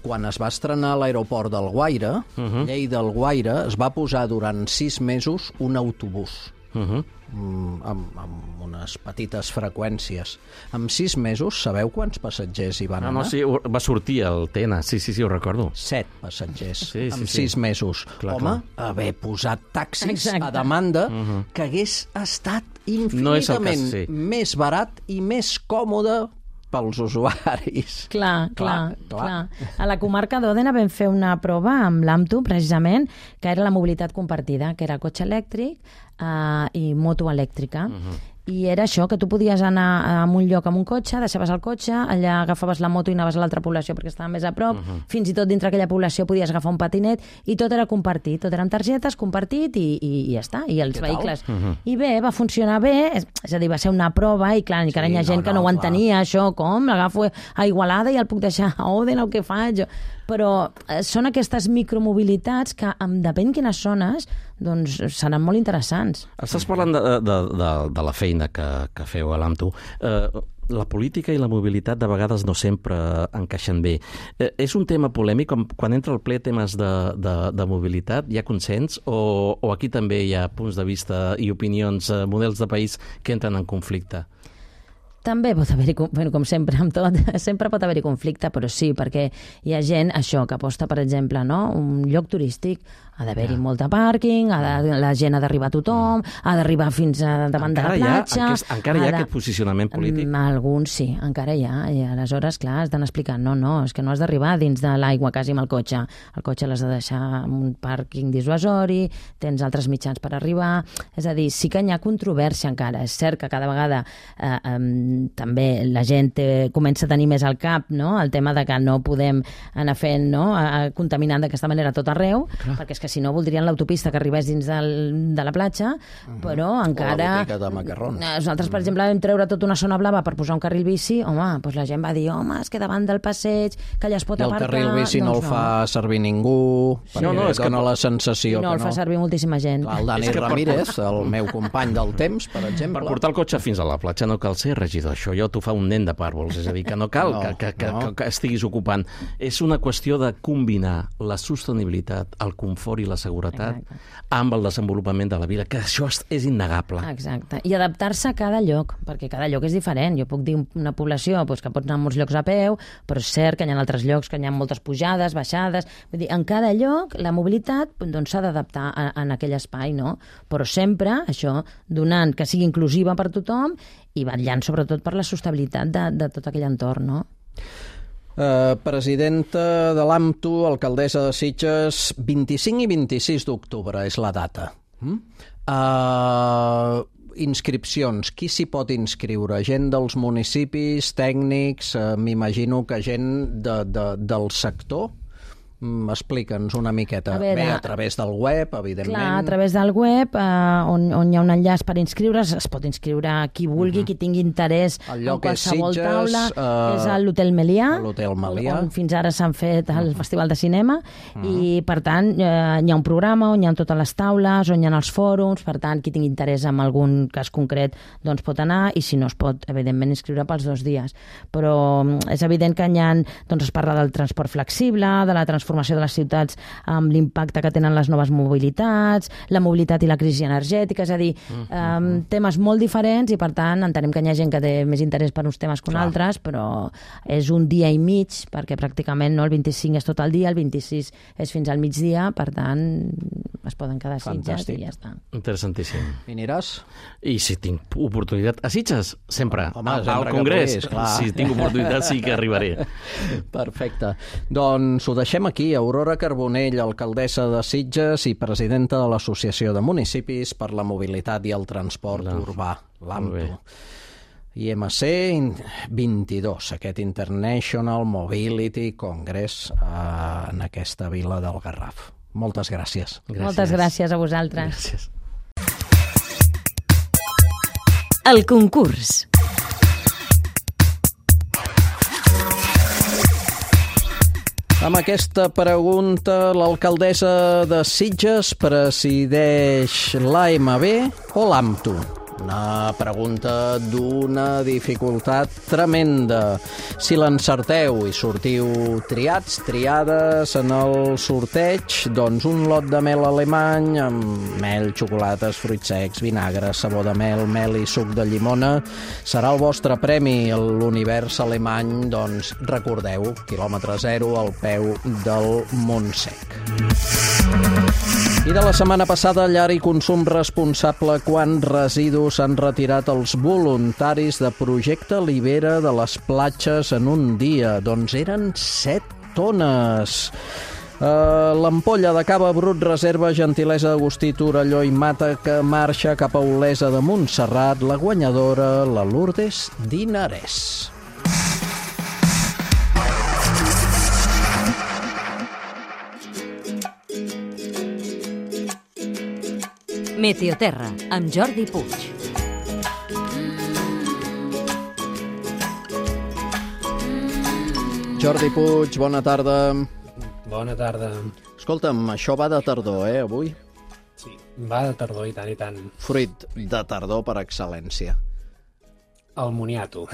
quan es va estrenar a l'aeroport d'Alguaire, Lleida Alguaire, es va posar durant 6 mesos un autobús. Amb unes petites freqüències. En 6 mesos, sabeu quants passatgers hi van anar? No, sí, va sortir el TN, sí, ho recordo. 7 passatgers en 6 mesos. Home, haver posat taxis a demanda que hagués estat infinitament més barat i més còmode pels usuaris. Clar. A la comarca d'Òdena vam fer una prova amb l'AMTU, precisament, que era la mobilitat compartida, que era cotxe elèctric i moto elèctrica. I era això, que tu podies anar a un lloc amb un cotxe, deixaves el cotxe, allà agafaves la moto i anaves a l'altra població perquè estava més a prop, fins i tot dintre aquella població podies agafar un patinet, i tot era compartit, tot eren targetes, compartit i ja està, i els vehicles. I bé, va funcionar bé, és a dir, va ser una prova, i clar, encara hi ha gent que no ho entenia, això, com? L'agafo a Igualada i el puc deixar a Oden, o què faig? Però són aquestes micromobilitats que, depèn quines zones, doncs seran molt interessants. Estàs parlant de la feina que feu a l'AMTU. La política i la mobilitat de vegades no sempre encaixen bé. És un tema polèmic? Quan entra al ple temes de mobilitat, hi ha consens? O aquí també hi ha punts de vista i opinions, models de país que entren en conflicte? També pot haver-hi, com sempre, amb tot, sempre pot haver-hi conflicte, però sí, perquè hi ha gent, això, que aposta, per exemple, no? Un lloc turístic, ha d'haver-hi molta pàrquing, la gent ha d'arribar a tothom, ha d'arribar fins davant de la platja... Encara hi ha aquest posicionament polític? Alguns sí, encara hi ha, i aleshores, clar, estan explicant, no, és que no has d'arribar dins de l'aigua quasi amb el cotxe l'has de deixar en un pàrquing dissuasori, tens altres mitjans per arribar, és a dir, sí que hi ha controvèrsia encara, és cert que cada vegada també la gent comença a tenir més al cap, no?, el tema de que no podem anar fent, no?, contaminant d'aquesta manera tot arreu, perquè és que si no voldrien l'autopista que arribés dins de la platja, però encara... O la botiga de macarrons. Nosaltres, per exemple, vam treure tota una zona blava per posar un carril bici, doncs la gent va dir, és que davant del passeig, que allà es pot aparcar... I el carril bici no el fa servir ningú, perquè dona la sensació que no. No el fa servir moltíssima gent. El Dani Ramírez, el meu company del temps, per exemple... Per portar el cotxe fins a la platja no cal ser regidor, això ja t'ho fa un nen de pàrvols, és a dir, que no cal que estiguis ocupant. És una qüestió de combinar la sostenibilitat, el confort i la seguretat amb el desenvolupament de la vida, que això és innegable. Exacte. I adaptar-se a cada lloc, perquè cada lloc és diferent. Jo puc dir una població que pots anar a molts llocs a peu, però és cert que hi ha altres llocs que hi ha moltes pujades, baixades. Vull dir, en cada lloc la mobilitat s'ha d'adaptar en aquell espai, no? Però sempre, això, donant que sigui inclusiva per tothom i vetllant sobretot per la sostenibilitat de tot aquell entorn, no? Presidenta de l'AMTU, alcaldessa de Sitges, 25 i 26 d'octubre és la data. Inscripcions, qui s'hi pot inscriure? Gent dels municipis, tècnics, m'imagino que gent del sector? Explica'ns una miqueta. Bé, a través del web, evidentment. Clar, a través del web, on hi ha un enllaç per inscriure's, es pot inscriure qui vulgui, qui tingui interès en qualsevol taula. És a l'Hotel Melià, on fins ara s'han fet el Festival de Cinema, i per tant hi ha un programa on hi ha totes les taules, on hi ha els fòrums, per tant qui tingui interès en algun cas concret doncs pot anar, i si no es pot evidentment inscriure pels 2 dies. Però és evident que es parla del transport flexible, de la transformació de les ciutats amb l'impacte que tenen les noves mobilitats, la mobilitat i la crisi energètica, és a dir, temes molt diferents, i per tant entenem que hi ha gent que té més interès per uns temes que altres, però és un dia i mig, perquè pràcticament el 25 és tot el dia, el 26 és fins al migdia, per tant es poden quedar a Sitges i ja està. Interessantíssim. I aniràs? I si tinc oportunitat a Sitges, sempre. Al Congrés, si tinc oportunitat sí que arribaré. Perfecte. Doncs ho deixem aquí. Aurora Carbonell, alcaldessa de Sitges i presidenta de l'Associació de Municipis per la Mobilitat i el Transport Urbà, l'AMTU. IMC 22, aquest International Mobility Congress en aquesta vila del Garraf. Moltes gràcies. Moltes gràcies a vosaltres. Gràcies. El concurs. Amb aquesta pregunta, l'alcaldessa de Sitges presideix l'AMB o l'AMTU? Una pregunta d'una dificultat tremenda. Si l'encerteu i sortiu triades en el sorteig, doncs un lot de mel alemany amb mel, xocolates, fruits secs, vinagre, sabó de mel i suc de llimona serà el vostre premi. L'univers alemany, doncs recordeu, quilòmetre zero al peu del Montsec. I de la setmana passada, llar i consum responsable, quants residus han retirat els voluntaris de Projecte Libera de les platges en un dia? Doncs eren 7 tones. L'ampolla de cava brut reserva gentilesa d'Agustí Torelló i Mata, que marxa cap a Olesa de Montserrat, la guanyadora, la Lourdes Dinarès. Meteoterra, amb Jordi Puig. Jordi Puig, bona tarda. Bona tarda. Escolta'm, això va de tardor, avui? Sí, va de tardor, i tant. Fruit de tardor per excel·lència. El moniato.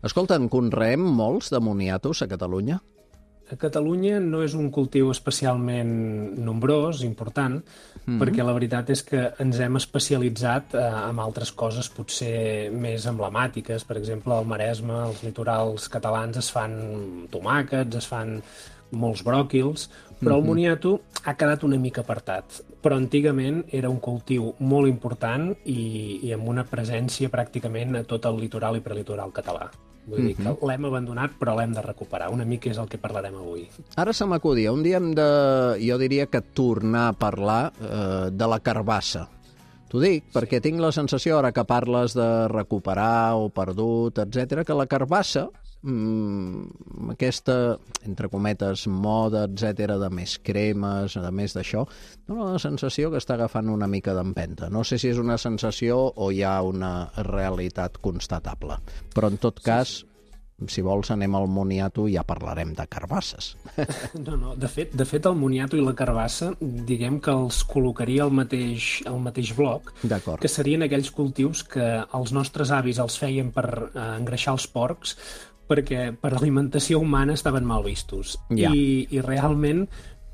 Escolta, en conreem molts de moniatos a Catalunya? A Catalunya no és un cultiu especialment nombrós, important, perquè la veritat és que ens hem especialitzat en altres coses potser més emblemàtiques. Per exemple, al Maresme, als litorals catalans es fan tomàquets, es fan molts bròquils, però el moniato ha quedat una mica apartat. Però antigament era un cultiu molt important i amb una presència pràcticament a tot el litoral i prelitoral català. Vull dir que l'hem abandonat, però l'hem de recuperar. Una mica és el que parlarem avui. Ara se m'acudia, un dia hem de, jo diria que tornar a parlar de la carbassa. T'ho dic perquè tinc la sensació, ara que parles de recuperar o perdut, etc, que la carbassa, aquesta, entre cometes, moda, etc, de més cremes, de més d'això, dona la sensació que està agafant una mica d'empenta. No sé si és una sensació o hi ha una realitat constatable. Però, en tot cas, si vols anem al moniato i ja parlarem de carbasses. No, de fet el moniato i la carbassa, diguem que els col·locaria al mateix bloc, que serien aquells cultius que els nostres avis els feien per engreixar els porcs, perquè per alimentació humana estaven mal vistos. I realment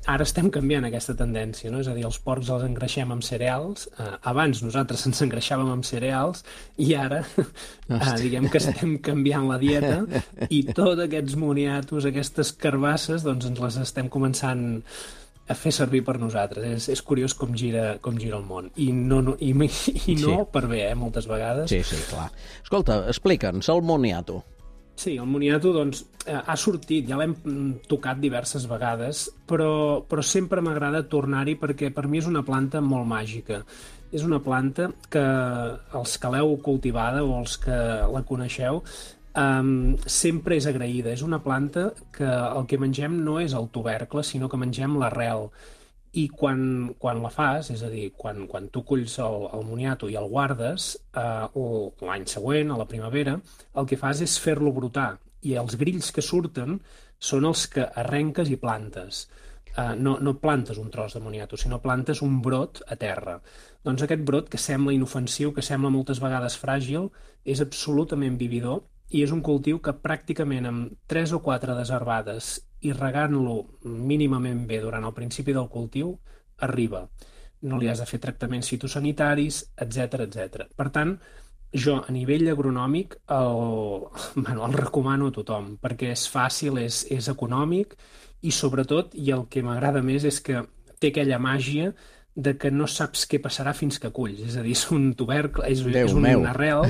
ara estem canviant aquesta tendència, no? És a dir, els porcs els engreixem amb cereals, abans nosaltres ens engreixàvem amb cereals i ara diguem que estem canviant la dieta i tots aquests moniatos, aquestes carbasses, doncs ens les estem començant a fer servir per nosaltres. És curiós com gira el món. I no per bé, moltes vegades. Sí, clar. Escolta, explica'ns el moniato. Sí, el moniato doncs, ha sortit, ja l'hem tocat diverses vegades, però sempre m'agrada tornar-hi perquè per mi és una planta molt màgica. És una planta que els que l'heu cultivada o els que la coneixeu sempre és agraïda. És una planta que el que mengem no és el tubercle, sinó que mengem l'arrel. I quan la fas, és a dir, quan tu culls el moniato i el guardes, o l'any següent, a la primavera, el que fas és fer-lo brotar. I els grills que surten són els que arrenques i plantes. No plantes un tros de moniato, sinó plantes un brot a terra. Doncs aquest brot, que sembla inofensiu, que sembla moltes vegades fràgil, és absolutament vividor i és un cultiu que pràcticament amb 3 o 4 desherbades i regant-lo mínimament bé durant el principi del cultiu, arriba. No li has de fer tractaments fitosanitaris, etc. Per tant, jo, a nivell agronòmic, el recomano a tothom, perquè és fàcil, és econòmic, i sobretot, i el que m'agrada més és que té aquella màgia de que no saps què passarà fins que culls. És a dir, és un tubercle, és un arrel,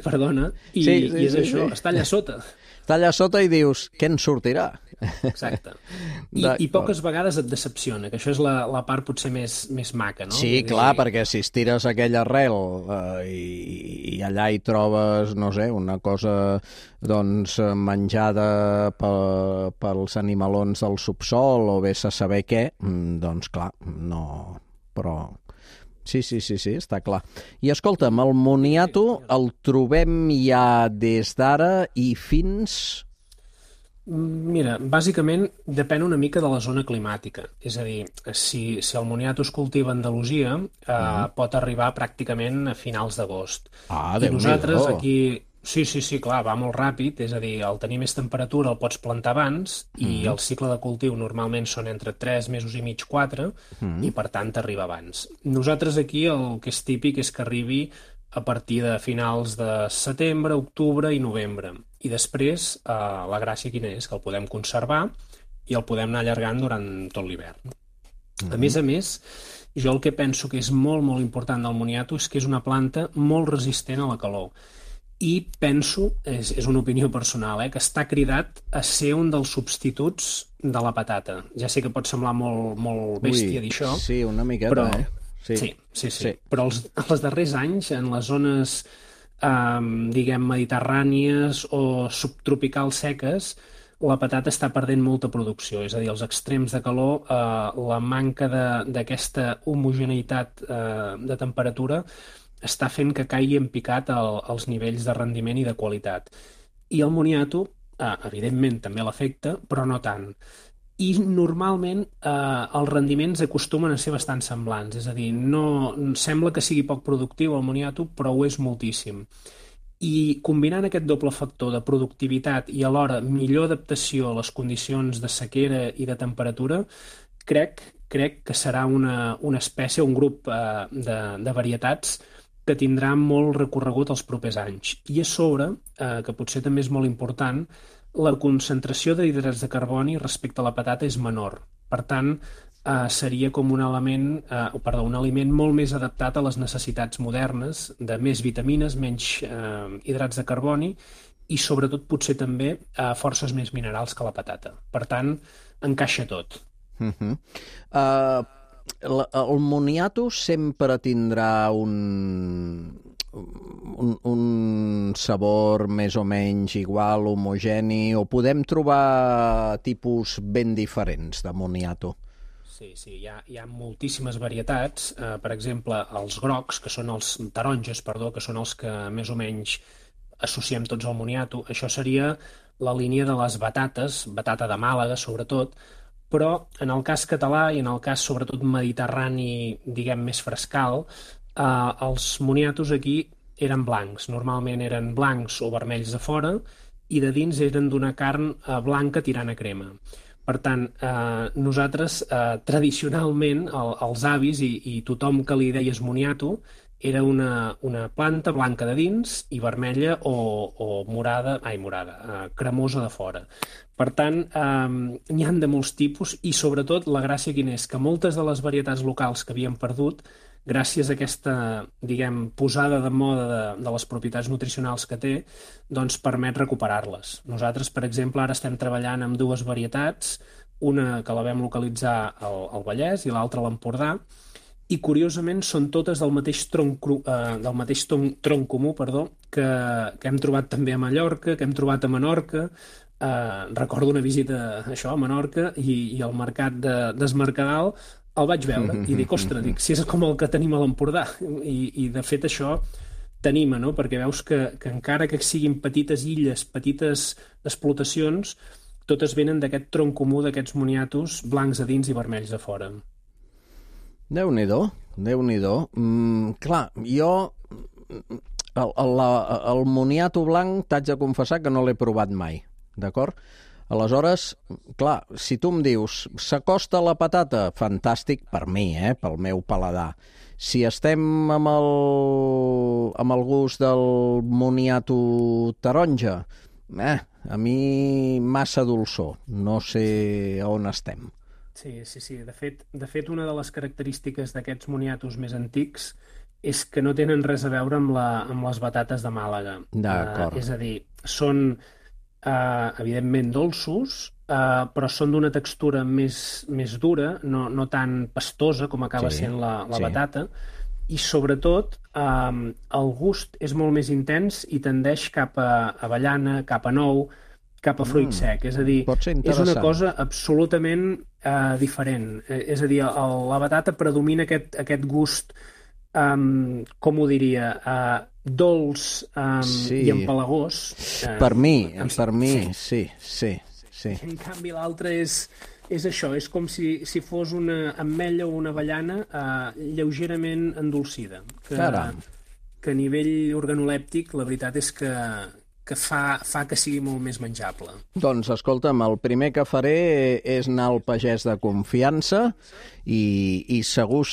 perdona, i és això, està allà sota. Està allà sota i dius, què en sortirà? Exacte. I poques vegades et decepciona, que això és la part potser més maca, no? Sí, clar, perquè si estires aquell arrel i allà hi trobes, no sé, una cosa doncs menjada pels animalons del subsol o vés a saber què, doncs clar, no... Però... Sí, està clar. I escolta'm, el moniato el trobem ja des d'ara i fins... Mira, bàsicament depèn una mica de la zona climàtica. És a dir, si el moniato es cultiva a Andalusia, pot arribar pràcticament a finals d'agost. I nosaltres aquí... Sí, clar, va molt ràpid, és a dir, al tenir més temperatura el pots plantar abans i el cicle de cultiu normalment són entre 3 mesos i mig, 4, i per tant arriba abans. Nosaltres aquí el que és típic és que arribi a partir de finals de setembre, octubre i novembre. I després la gràcia quina és? Que el podem conservar i el podem anar allargant durant tot l'hivern. A més, jo el que penso que és molt, molt important del moniato és que és una planta molt resistent a la calor. i penso, és una opinió personal, que està cridat a ser un dels substituts de la patata. Ja sé que pot semblar molt bèstia dir això. Sí, una miqueta, però, Sí. Però els darrers anys, en les zones, diguem, mediterrànies o subtropicals seques, la patata està perdent molta producció. És a dir, als extrems de calor, la manca d'aquesta homogeneïtat de temperatura està fent que caigui en picat els nivells de rendiment i de qualitat. I el moniato, evidentment, també l'afecta, però no tant. I normalment els rendiments acostumen a ser bastant semblants, és a dir, no sembla que sigui poc productiu el moniato, però ho és moltíssim. I combinant aquest doble factor de productivitat i alhora millor adaptació a les condicions de sequera i de temperatura, crec que serà una espècie, un grup de varietats que tindrà molt recorregut els propers anys. I a sobre, que potser també és molt important, la concentració d'hidrats de carboni respecte a la patata és menor. Per tant, seria com un aliment molt més adaptat a les necessitats modernes de més vitamines, menys hidrats de carboni i sobretot potser també forces més minerals que la patata. Per tant, encaixa tot. El moniato sempre tindrà un sabor més o menys igual, homogeni, o podem trobar tipus ben diferents de moniato? Sí, hi ha moltíssimes varietats. Per exemple, els grocs, que són els taronges, que són els que més o menys associem tots al moniato. Això seria la línia de les batates, batata de Màlaga sobretot, però en el cas català i en el cas sobretot mediterrani, diguem, més frescal, els moniatos aquí eren blancs. Normalment eren blancs o vermells de fora i de dins eren d'una carn blanca tirant a crema. Per tant, nosaltres tradicionalment, els avis i tothom que li deies moniato, era una planta blanca de dins i vermella o morada, cremosa de fora. Per tant, n'hi ha de molts tipus i sobretot la gràcia quina és que moltes de les varietats locals que havíem perdut, gràcies a aquesta, diguem, posada de moda de les propietats nutricionals que té, doncs permet recuperar-les. Nosaltres, per exemple, ara estem treballant amb dues varietats, una que la vam localitzar al Vallès i l'altra a l'Empordà, i curiosament són totes del mateix tronc comú, que hem trobat també a Mallorca, que hem trobat a Menorca. Recordo una visita a Menorca i al mercat d'Es Mercadal el vaig veure i dic, ostres, si és com el que tenim a l'Empordà. I de fet això t'anima, no? Perquè veus que encara que siguin petites illes, petites explotacions, totes venen d'aquest tronc comú d'aquests moniatos blancs a dins i vermells a fora. Déu-n'hi-do, Déu-n'hi-do. Clar, jo el moniato blanc t'haig de confessar que no l'he provat mai, d'acord? Aleshores, clar, si tu em dius s'acosta a la patata, fantàstic per mi, pel meu paladar. Si estem amb el gust del moniato taronja, a mi massa dolçor, no sé on estem. Sí. De fet, una de les característiques d'aquests moniatos més antics és que no tenen res a veure amb les batates de Màlaga. D'acord. És a dir, són evidentment dolços, però són d'una textura més dura, no tan pastosa com acaba sent la batata, i sobretot el gust és molt més intens i tendeix cap a avellana, cap a nou, cap a fruit sec. És a dir, és una cosa absolutament diferent. És a dir, la batata predomina aquest gust, com ho diria, dolç i empalagós. Per mi, sí. En canvi, l'altre és això, és com si fos una ametlla o una avellana lleugerament endolcida. Que a nivell organolèptic, la veritat és que fa que sigui molt més menjable. Doncs, escolta'm, el primer que faré és anar al pagès de confiança i segur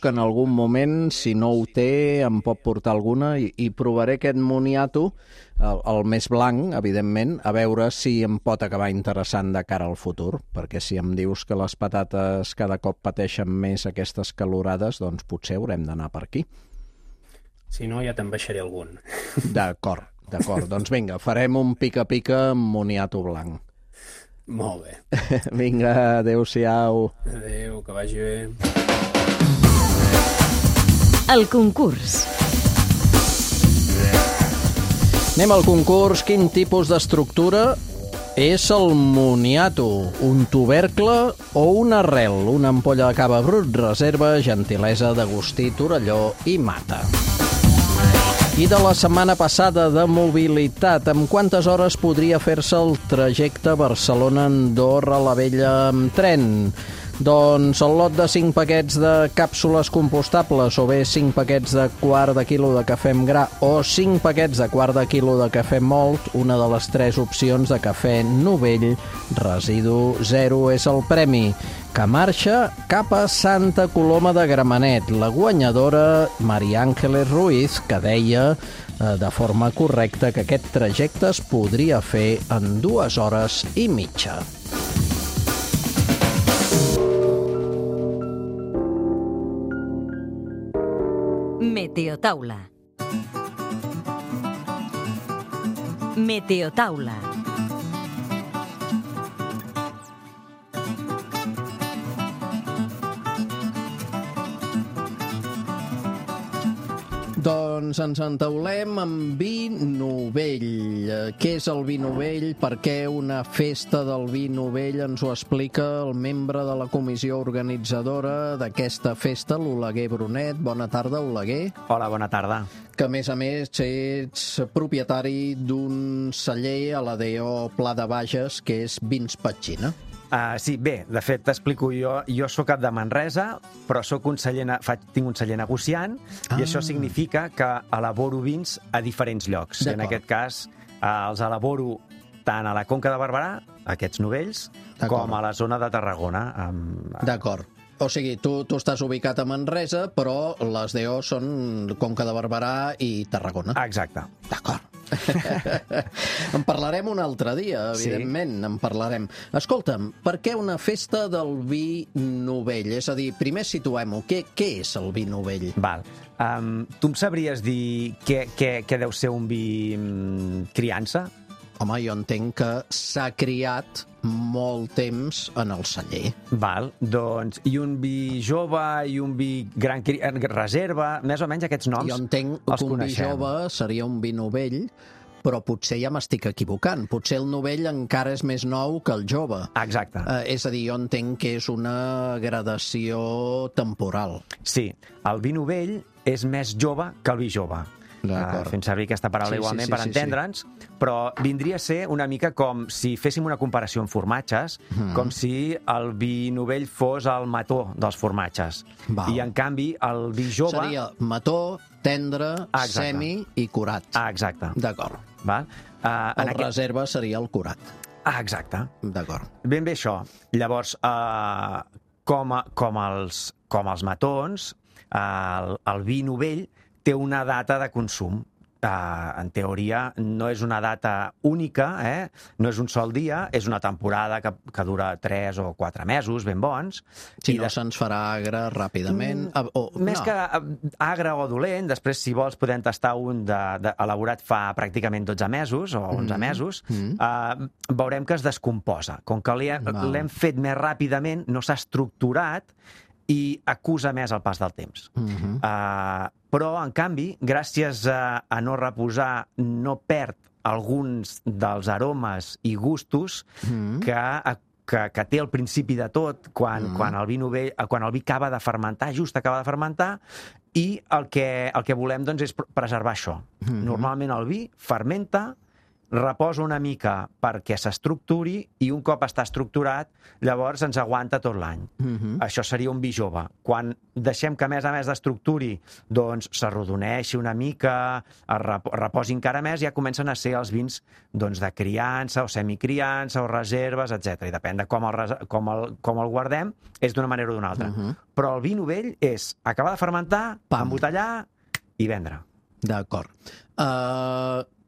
que en algun moment, si no ho té, em pot portar alguna i provaré aquest moniato, el més blanc, evidentment, a veure si em pot acabar interessant de cara al futur, perquè si em dius que les patates cada cop pateixen més aquestes calorades, doncs potser haurem d'anar per aquí. Si no, ja te'n baixaré algun. D'acord. Doncs vinga, farem un pica-pica amb moniato blanc. Molt bé. Vinga, adéu-siau. Adéu, que vagi bé. El concurs. Anem al concurs. Quin tipus d'estructura és el moniato? Un tubercle o una arrel? Una ampolla de cava brut, reserva, gentilesa d'Agustí, Torelló i Mata. I de la setmana passada de mobilitat, amb quantes hores podria fer-se el trajecte Barcelona-Andorra-la-Vella amb tren? Doncs el lot de 5 paquets de càpsules compostables o bé 5 paquets de quart de quilo de cafè amb gra o 5 paquets de quart de quilo de cafè mòlt, una de les 3 opcions de cafè novell, residu 0 és el premi, que marxa cap a Santa Coloma de Gramenet. La guanyadora, Maria Ángeles Ruiz, que deia de forma correcta que aquest trajecte es podria fer en 2 hores i mitja. Meteotaula. Meteotaula. Doncs ens entaulem amb vi novell. Què és el vi novell? Per què una festa del vi novell? Ens ho explica el membre de la comissió organitzadora d'aquesta festa, l'Oleguer Brunet. Bona tarda, Oleguer. Hola, bona tarda. Que, a més, ets propietari d'un celler a l'ADO Pla de Bages, que és Vins Petxina. Sí, bé, de fet, t'explico jo. Jo soc cap de Manresa, però tinc un celler negociant, i això significa que elaboro vins a diferents llocs. En aquest cas, els elaboro tant a la Conca de Barberà, aquests novells, com a la zona de Tarragona. D'acord. O sigui, tu estàs ubicat a Manresa, però les DO són Conca de Barberà i Tarragona. Exacte. D'acord. En parlarem un altre dia, evidentment, en parlarem. Escolta'm, per què una festa del vi novell? És a dir, primer situem-ho. Què és el vi novell? Val. Tu em sabries dir què deu ser un vi criança? Home, jo entenc que s'ha criat molt temps en el celler. Val, doncs, i un vi jove i un vi gran reserva, més o menys aquests noms jo entenc que un vi jove seria un vi novell, però potser ja m'estic equivocant. Potser el novell encara és més nou que el jove. Exacte. És a dir, jo entenc que és una gradació temporal. Sí, el vi novell és més jove que el vi jove. Fent servir aquesta paraula igualment per entendre'ns, però vindria a ser una mica com si féssim una comparació amb formatges, com si el vi novell fos el mató dels formatges. I, en canvi, el vi jove... Seria mató, tendre, semi i curat. Exacte. D'acord. El reserva seria el curat. Exacte. D'acord. Ben bé això. Llavors, com els matons, el vi novell té una data de consum. En teoria, no és una data única, no és un sol dia, és una temporada que dura 3 o 4 mesos, ben bons. Si no se'ns farà agre ràpidament... Més que agre o dolent, després, si vols, podem tastar un elaborat fa pràcticament 12 mesos o 11 mesos, veurem que es descomposa. Com que l'hem fet més ràpidament, no s'ha estructurat i acusa més el pas del temps. Però, en canvi, gràcies a no reposar, no perd alguns dels aromes i gustos que té al principi de tot, quan el vi acaba de fermentar, just acaba de fermentar, i el que volem és preservar això. Normalment el vi fermenta, reposa una mica perquè s'estructuri i un cop està estructurat, llavors ens aguanta tot l'any. Això seria un vi jove. Quan deixem que, a més d'estructuri, doncs s'arrodoneixi una mica, es reposi encara més, ja comencen a ser els vins de criança o semicriança o reserves, etc. I depèn de com el guardem, és d'una manera o d'una altra. Però el vi novell és acabar de fermentar, embotellar i vendre. D'acord.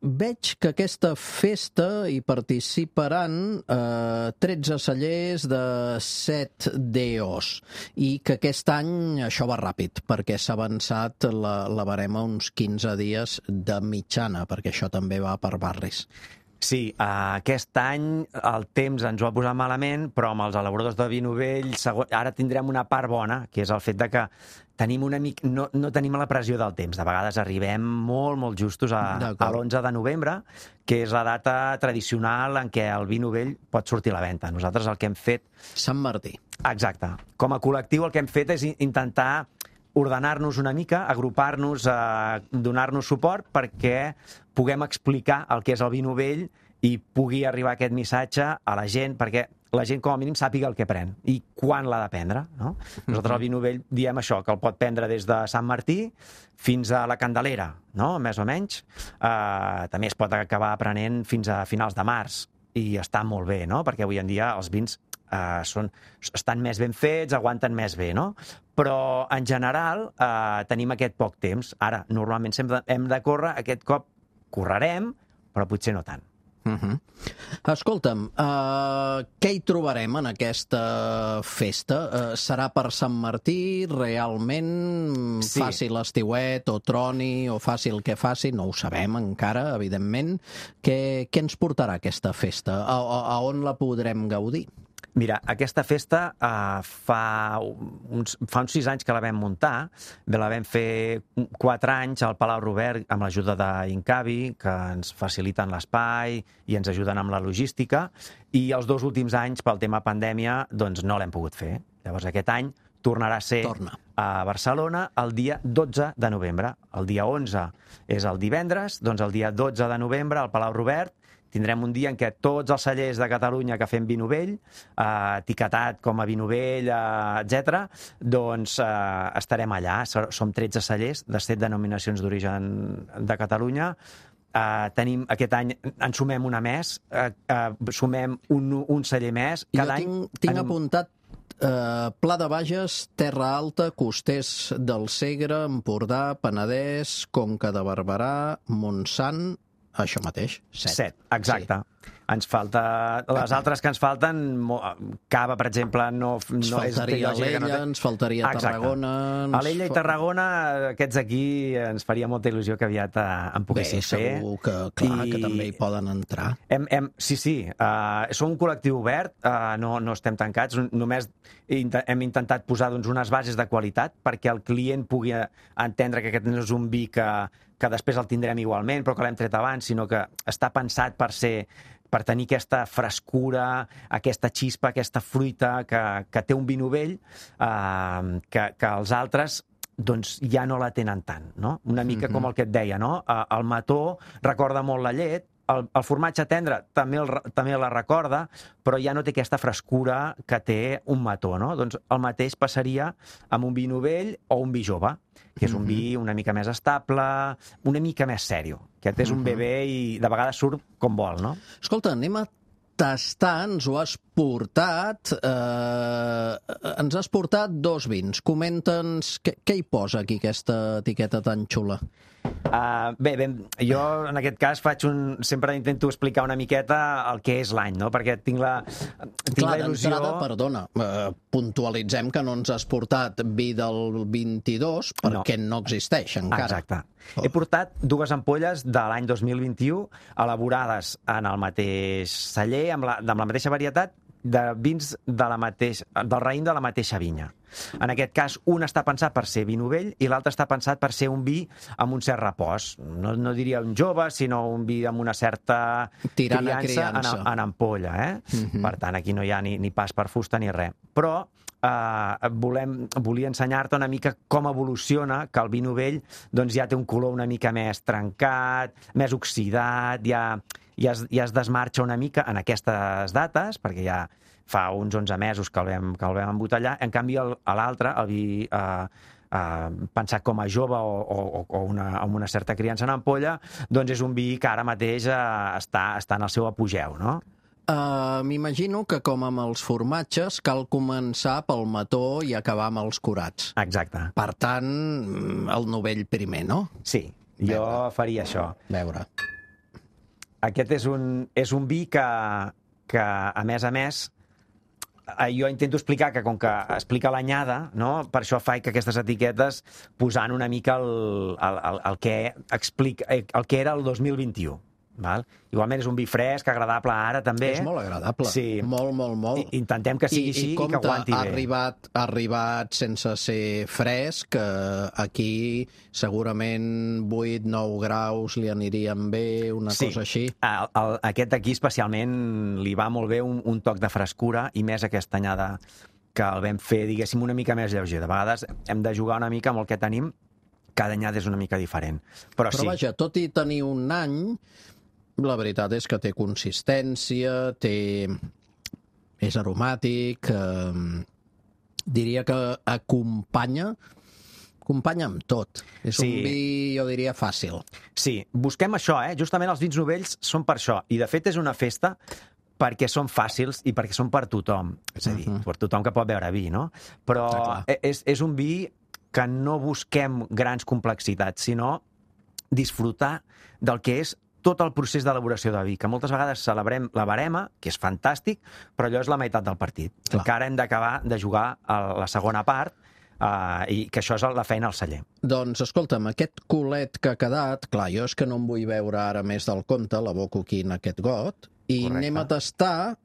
veig que aquesta festa hi participaran 13 cellers de 7 DOs i que aquest any això va ràpid perquè s'ha avançat la barema uns 15 dies de mitjana, perquè això també va per barris. Sí, aquest any el temps ens ho ha posat malament, però amb els elaboradors de vi novell ara tindrem una part bona, que és el fet de que tenim no tenim la pressió del temps. De vegades arribem molt justos a l'11 de novembre, que és la data tradicional en què el vi novell pot sortir a la venda. Nosaltres el que hem fet... Sant Martí. Exacte. Com a col·lectiu el que hem fet és intentar ordenar-nos una mica, agrupar-nos, donar-nos suport perquè puguem explicar el que és el vi novell i pugui arribar aquest missatge a la gent, perquè la gent com a mínim sàpiga el que pren i quan l'ha de prendre. No? Nosaltres el vi novell diem això, que el pot prendre des de Sant Martí fins a la Candelera, no? Més o menys. També es pot acabar prenent fins a finals de març i està molt bé, no? Perquè avui en dia els vins estan més ben fets, aguanten més bé, no? Però, en general, tenim aquest poc temps. Ara, normalment sempre hem de córrer, aquest cop correrem, però potser no tant. Escolta'm, què hi trobarem en aquesta festa? Serà per Sant Martí, realment? Sí. Faci l'estiuet, o troni, o faci el que faci? No ho sabem encara, evidentment. Què ens portarà aquesta festa? A on la podrem gaudir? Mira, aquesta festa fa uns 6 anys que la vam muntar. La vam fer 4 anys al Palau Robert amb l'ajuda d'Incavi, que ens faciliten l'espai i ens ajuden amb la logística. I els 2 últims anys, pel tema pandèmia, doncs no l'hem pogut fer. Llavors aquest any tornarà a ser a Barcelona el dia 12 de novembre. El dia 11 és el divendres, doncs el dia 12 de novembre al Palau Robert tindrem un dia en què tots els cellers de Catalunya que fem vi novell, etiquetat com a vi novell, etc., doncs estarem allà. Som 13 cellers de 7 denominacions d'origen de Catalunya. Tenim aquest any, en sumem una més, sumem un celler més. Cada any tinc apuntat Pla de Bages, Terra Alta, Costers del Segre, Empordà, Penedès, Conca de Barberà, Montsant... Això mateix, 7. Exacte. Sí. Ens falta... Les altres que ens falten, Cava, per exemple, no ens faltaria Alella, ens faltaria Tarragona... Alella i Tarragona, aquests aquí ens faria molta il·lusió que aviat en poguessin fer. Bé, segur que, clar, que també hi poden entrar. Sí. Som un col·lectiu obert, no estem tancats, només hem intentat posar unes bases de qualitat perquè el client pugui entendre que aquest no és un vi que després el tindrem igualment, però que l'hem tret abans, sinó que està pensat per tenir aquesta frescura, aquesta xispa, aquesta fruita que té un vi novell, que els altres doncs ja no la tenen tant, no? Una mica com el que et deia, no? El mató recorda molt la llet, el formatge tendre també la recorda, però ja no té aquesta frescura que té un mató, no? Doncs el mateix passaria amb un vi novell o un vi jove, que és un vi una mica més estable, una mica més sèrio. Aquest és un bebè i de vegades surt com vol, no? Escolta, anem a tastar, ens ho has portat. Ens has portat 2 vins. Comenta'ns què hi posa aquí, aquesta etiqueta tan xula. Bé, jo en aquest cas sempre intento explicar una miqueta el que és l'any, no? Perquè tinc la il·lusió... D'entrada, perdona, puntualitzem que no ens has portat vi del 22 perquè no existeix encara. Exacte. He portat 2 ampolles de l'any 2021 elaborades en el mateix celler, amb la mateixa varietat, de vins del raïm de la mateixa vinya. En aquest cas, un està pensat per ser vi novell i l'altre està pensat per ser un vi amb un cert repòs. No diria un jove, sinó un vi amb una certa criança en ampolla. Per tant, aquí no hi ha ni pas per fusta ni res. Però volia ensenyar-te una mica com evoluciona, que el vi novell ja té un color una mica més trencat, més oxidat, ja es desmarxa una mica en aquestes dates, perquè ja fa uns 11 mesos que el vam embotellar. En canvi, l'altre, el vi pensat com a jove o amb una certa criança en ampolla, doncs és un vi que ara mateix està en el seu apogeu, no? M'imagino que, com amb els formatges, cal començar pel mató i acabar amb els curats. Exacte. Per tant, el novell primer, no? Sí, jo faria això. Veure. Aquest és un vi que, a més, jo intento explicar que, com que explica l'anyada, no? Per això faig que aquestes etiquetes posant una mica el que era el 2021. Val? Igualment és un vi fresc, agradable ara també. És molt agradable, sí. Molt. Intentem que sigui així i que aguanti bé. Ha arribat sense ser fresc, aquí segurament 8-9 graus li anirien bé, una cosa així. Aquest aquí especialment li va molt bé un toc de frescura i més aquesta anyada que el vam fer, diguéssim, una mica més lleuger. De vegades hem de jugar una mica amb el que tenim, cada anyada és una mica diferent. Però sí. Vaja, tot i tenir un any, la veritat és que té consistència, és aromàtic, diria que acompanya amb tot. És un vi, jo diria, fàcil. Sí, busquem això, justament els vins novells són per això, i de fet és una festa perquè són fàcils i perquè són per tothom, és a dir, per tothom que pot beure vi, no? Però és un vi que no busquem grans complexitats, sinó disfrutar del que és tot el procés d'elaboració de vi, que moltes vegades celebrem la barema, que és fantàstic, però allò és la meitat del partit. Encara hem d'acabar de jugar a la segona part, i que això és la feina al celler. Doncs, escolta'm, aquest culet que ha quedat, clar, jo és que no em vull veure ara més del compte, l'aboco aquí en aquest got, i anem a tastar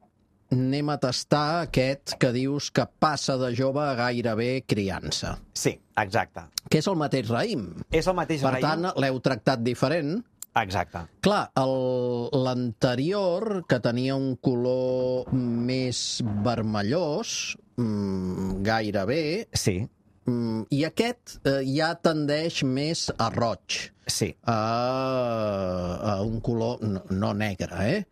aquest que dius que passa de jove a gairebé criança. Sí, exacte. Que és el mateix raïm. És el mateix raïm. Per tant, l'heu tractat diferent. Exacte. Clar, l'anterior, que tenia un color més vermellós, gairebé, sí. I aquest ja tendeix més a roig. Sí. A un color, no negre,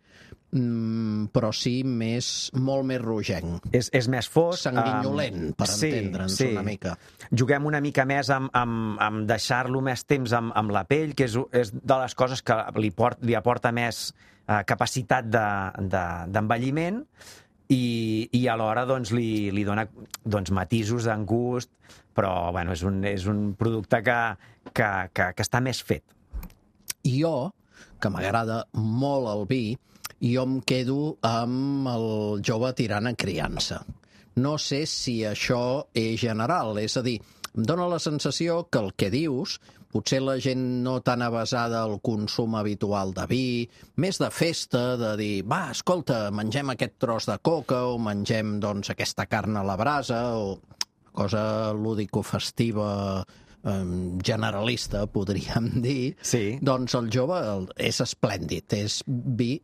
però sí molt més rogenc. És més fosc. Sanguinyolent, per entendre'ns una mica. Juguem una mica més amb deixar-lo més temps amb la pell, que és de les coses que li aporta més capacitat d'envelliment i alhora li dona matisos en gust, però bueno, és un producte que està més fet. Jo, que m'agrada molt el vi, jo em quedo amb el jove tirant a criança. No sé si això és general, és a dir, em dóna la sensació que el que dius, potser la gent no tan avesada al consum habitual de vi, més de festa, de dir, va, escolta, mengem aquest tros de coca o mengem, doncs, aquesta carn a la brasa o cosa lúdico-festiva generalista, podríem dir, sí. Doncs el jove és esplèndid, és vi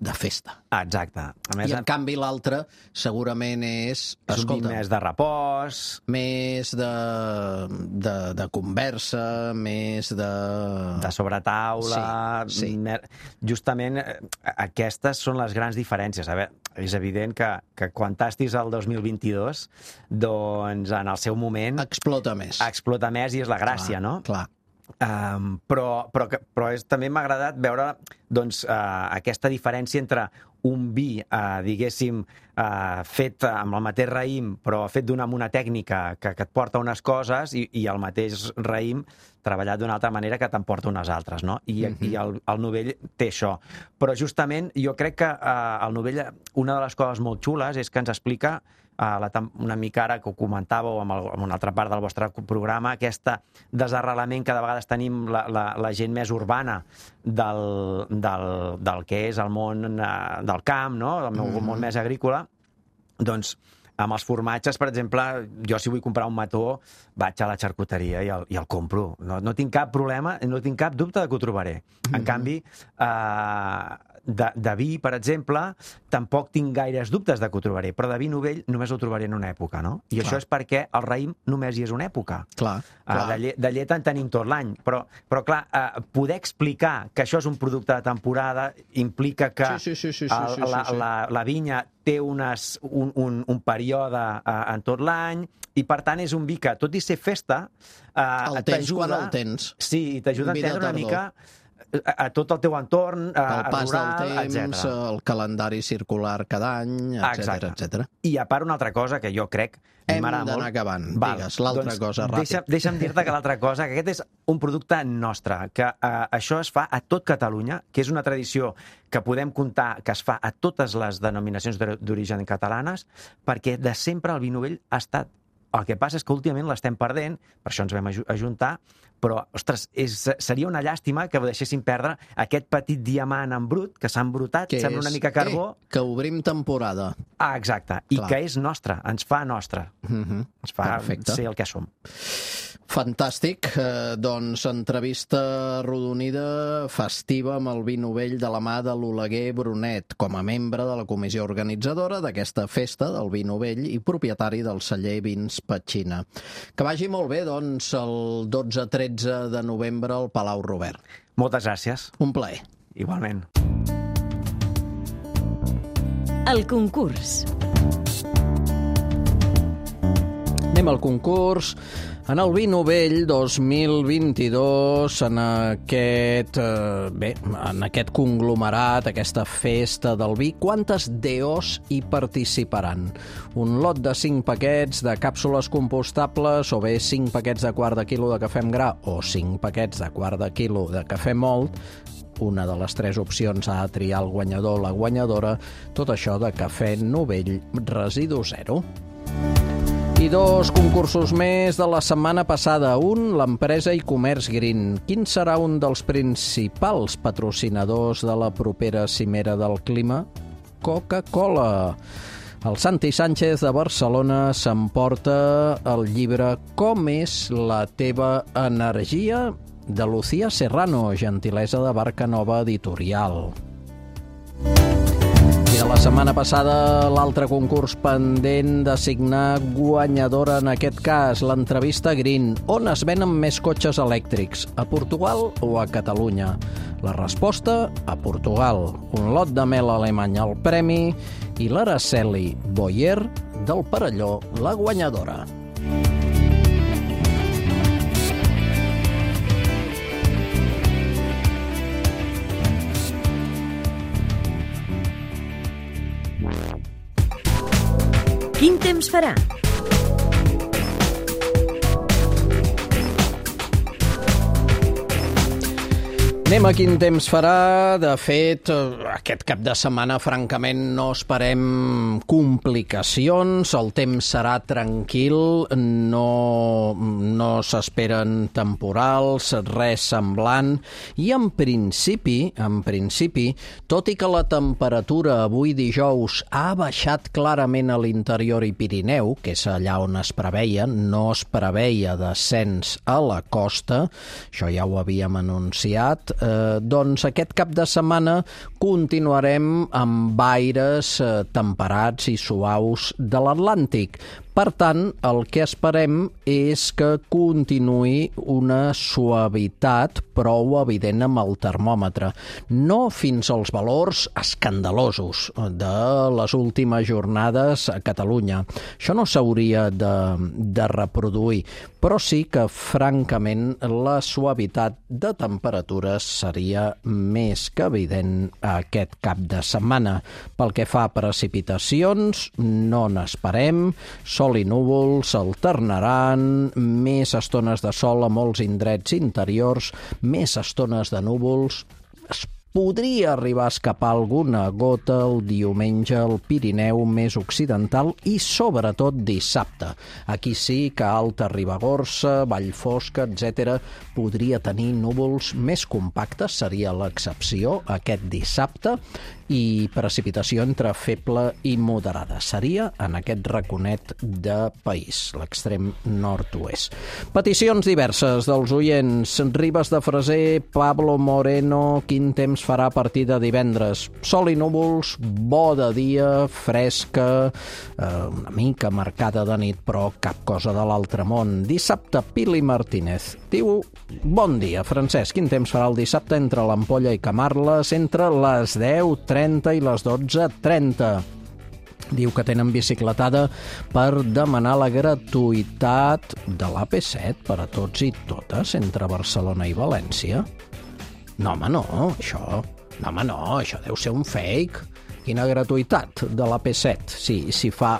de festa. Exacte. A més, i en canvi l'altre segurament és un vi més de repòs, més de conversa, més de sobretaula. Sí. Justament aquestes són les grans diferències. A veure, és evident que quan tastis el 2022, doncs en el seu moment explota més i és la gràcia, no? Clar. Però també m'ha agradat veure aquesta diferència entre un vi, diguéssim, fet amb el mateix raïm, però fet amb una tècnica que et porta unes coses i el mateix raïm treballat d'una altra manera que t'emporta unes altres, no? I el novell té això. Però justament jo crec que el novell, una de les coses molt xules és que ens explica una mica ara que ho comentàveu en una altra part del vostre programa, aquest desarrelament que de vegades tenim la gent més urbana del que és el món del camp, no? El món més agrícola. Doncs amb els formatges, per exemple, jo si vull comprar un mató vaig a la xarcuteria i el compro. No tinc cap problema, no tinc cap dubte que ho trobaré. En canvi, de vi, per exemple, tampoc tinc gaires dubtes de que ho trobaré, però de vi novell només ho trobaré en una època, no? I això és perquè el raïm només hi és una època. De llet en tenim tot l'any, però clar, poder explicar que això és un producte de temporada implica que la vinya té un període en tot l'any i, per tant, és un vi que, tot i ser festa, el tens quan el tens. Sí, t'ajuda a entendre una mica a tot el teu entorn, el pas rural, del temps, etc. el calendari circular cada any, etc. I a part una altra cosa que jo crec... Hem d'anar acabant. Digues, l'altra cosa, ràpid. Deixa'm dir-te que l'altra cosa, que aquest és un producte nostre, que això es fa a tot Catalunya, que és una tradició que podem comptar que es fa a totes les denominacions d'origen catalanes, perquè de sempre el vi novell ha estat. El que passa és que últimament l'estem perdent, per això ens vam ajuntar, però, ostres, seria una llàstima que ho deixéssim perdre aquest petit diamant en brut, que s'ha embrutat, sembla una mica carbó. Que obrim temporada. Ah, exacte, i que és nostre, ens fa nostre. Ens fa ser el que som. Fantàstic. Doncs entrevista arrodonida festiva amb el vi novell de la mà de l'Oleguer Brunet, com a membre de la comissió organitzadora d'aquesta festa del vi novell i propietari del celler Vins Petxina. Que vagi molt bé, doncs, el 12-13 de novembre al Palau Robert. Moltes gràcies. Un plaer. Igualment. El concurs. Anem al concurs. En el vi novell 2022, en aquest conglomerat, aquesta festa del vi, quantes DOs hi participaran? Un lot de 5 paquets de càpsules compostables, o bé 5 paquets de quart de quilo de cafè amb gra, o 5 paquets de quart de quilo de cafè mòlt. Una de les 3 opcions ha de triar el guanyador o la guanyadora. Tot això de cafè novell residu zero. I 2 concursos més de la setmana passada. Un, l'empresa i comerç Green. Quin serà un dels principals patrocinadors de la propera cimera del clima? Coca-Cola. El Santi Sánchez de Barcelona s'emporta el llibre Com és la teva energia? De Lucía Serrano, gentilesa de Barca Nova Editorial. I de la setmana passada, l'altre concurs pendent d'assignar guanyadora, en aquest cas, l'entrevista Green. On es venen més cotxes elèctrics, a Portugal o a Catalunya? La resposta, a Portugal. Un lot de mel alemany al premi i l'Araceli Boyer del Perelló, la guanyadora. Quin temps farà? Anem a quin temps farà. De fet, aquest cap de setmana, francament, no esperem complicacions. El temps serà tranquil, no s'esperen temporals, res semblant. I en principi, tot i que la temperatura avui dijous ha baixat clarament a l'interior i Pirineu, que és allà on es preveia, no es preveia descens a la costa, això ja ho havíem anunciat, doncs aquest cap de setmana continuarem amb aires temperats i suaus de l'Atlàntic. Per tant, el que esperem és que continuï una suavitat prou evident amb el termòmetre. No fins als valors escandalosos de les últimes jornades a Catalunya. Això no s'hauria de reproduir, però sí que, francament, la suavitat de temperatures seria més que evident aquest cap de setmana. Pel que fa a precipitacions, no n'esperem. Sol i núvols alternaran, més estones de sol a molts indrets interiors, més estones de núvols. Es podria arribar a escapar alguna gota el diumenge al Pirineu més occidental i sobretot dissabte. Aquí sí que Alta Ribagorça, Vallfosca, etc. podria tenir núvols més compactes, seria l'excepció aquest dissabte, i precipitació entre feble i moderada. Seria en aquest raconet de país, l'extrem nord-oest. Peticions diverses dels oients. Ribes de Freser, Pablo Moreno, quin temps farà a partir de divendres? Sol i núvols, bo de dia, fresca, una mica marcada de nit, però cap cosa de l'altre món. Dissabte, Pili Martínez diu: bon dia, Francesc, quin temps farà el dissabte entre l'Ampolla i Camarles entre les 10:30 i les 12:30. Diu que tenen bicicletada per demanar la gratuïtat de l'AP7 per a tots i totes entre Barcelona i València. No, home, no, això... No, home, no, això deu ser un fake. Quina gratuïtat de la P7, si fa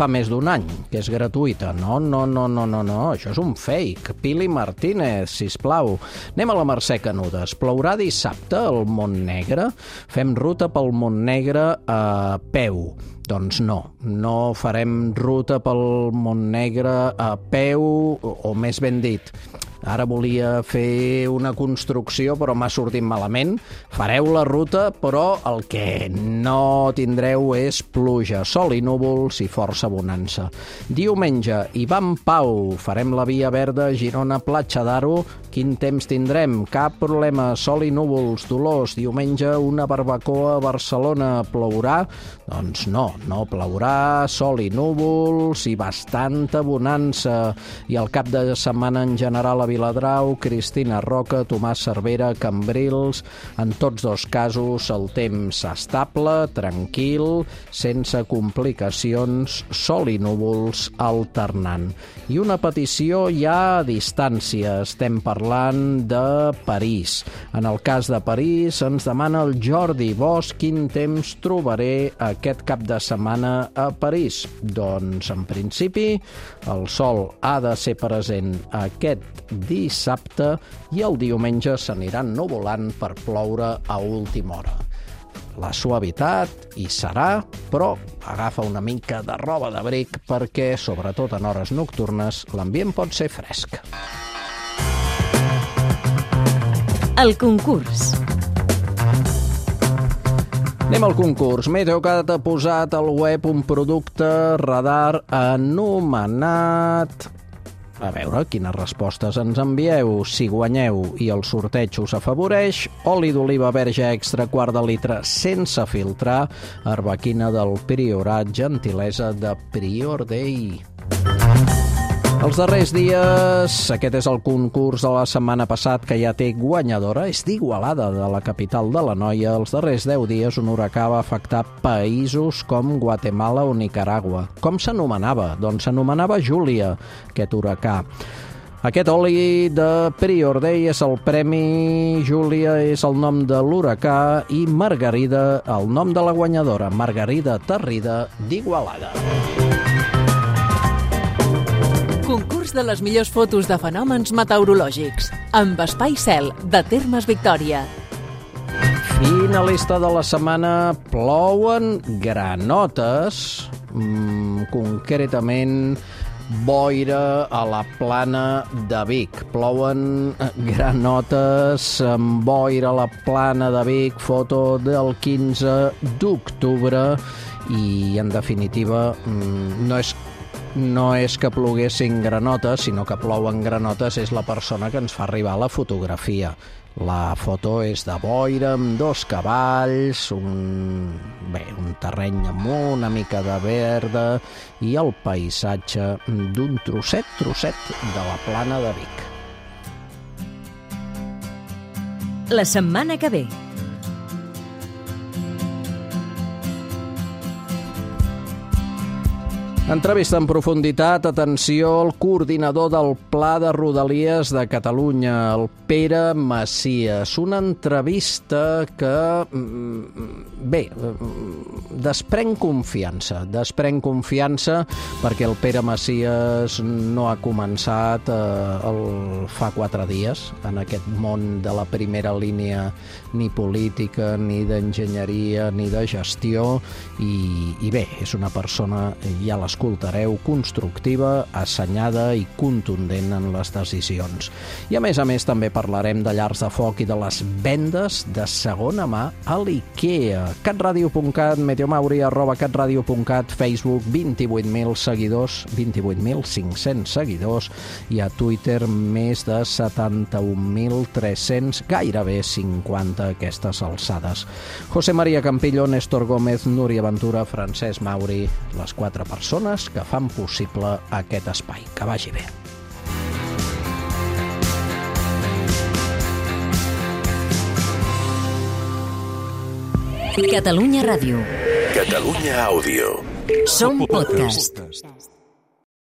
més d'un any que és gratuïta. No, això és un fake. Pili Martínez, sisplau. Anem a la Mercè Canudes. Plourà dissabte al Montnegre? Fem ruta pel Montnegre a peu. Doncs no farem ruta pel Montnegre a peu, o més ben dit, ara volia fer una construcció però m'ha sortit malament. Fareu la ruta, però el que no tindreu és pluja, sol i núvols i força bonança. Diumenge, Ivan Pau, farem la via verda Girona-Platja d'Aro. Quin temps tindrem? Cap problema, sol i núvols, Dolors. Diumenge, una barbacoa a Barcelona. Plourà? Doncs no plourà, sol i núvols i bastanta bonança. I el cap de setmana en general a Viladrau, Cristina Roca, Tomàs Cervera, Cambrils. En tots dos casos el temps estable, tranquil, sense complicacions, sol i núvols alternant. I una petició ja a distància. Estem parlant de París. En el cas de París ens demana el Jordi Bosch quin temps trobaré aquest cap de setmana a París. Doncs en principi el sol ha de ser present aquest dissabte i el diumenge s'aniran nuvolant per ploure a última hora. La suavitat hi serà, però agafa una mica de roba d'abric perquè, sobretot en hores nocturnes, l'ambient pot ser fresc. El concurs. Anem al concurs. Meteocat ha posat al web un producte radar anomenat... A veure quines respostes ens envieu. Si guanyeu i el sorteig us afavoreix, oli d'oliva verge extra quart de litre sense filtrar, arbequina del Priorat, gentilesa de Prior Day. Els darrers dies, aquest és el concurs de la setmana passat que ja té guanyadora, és d'Igualada, de la capital de l'Anoia. Els darrers 10 dies un huracà va afectar països com Guatemala o Nicaragua. Com s'anomenava? Doncs s'anomenava Júlia, aquest huracà. Aquest oli de Prior Day és el premi, Júlia és el nom de l'huracà i Margarida el nom de la guanyadora, Margarida Tarrida d'Igualada. Concurs de les millors fotos de fenòmens meteorològics amb Espai Cel, de Termes Victòria. Finalista de la setmana, plouen granotes, concretament boira a la plana de Vic. Plouen granotes amb boira a la plana de Vic, foto del 15 d'octubre i, en definitiva, no és que ploguessin granotes, sinó que plouen granotes és la persona que ens fa arribar la fotografia. La foto és de boira amb 2 cavalls, un terreny amb una mica de verda i el paisatge d'un trosset de la plana de Vic. La setmana que ve. Entrevista en profunditat, atenció, el coordinador del Pla de Rodalies de Catalunya, el Pere Macias. Una entrevista que, desprèn confiança perquè el Pere Macias no ha començat fa 4 dies en aquest món de la primera línia ni política, ni d'enginyeria, ni de gestió, i bé, és una persona, ja l'escoltareu, constructiva, assenyada i contundent en les decisions. I a més també parlarem de llars de foc i de les vendes de segona mà a l'IKEA. catradio.cat, meteomauri@catradio.cat, Facebook, 28.000 seguidors, 28.500 seguidors, i a Twitter més de 71.300, gairebé 50 a aquestes alçades. José María Campillo, Néstor Gómez, Núria Ventura, Francesc Mauri, les 4 persones que fan possible aquest espai. Que vagi bé. Catalunya Ràdio. Catalunya Àudio. Som podcast.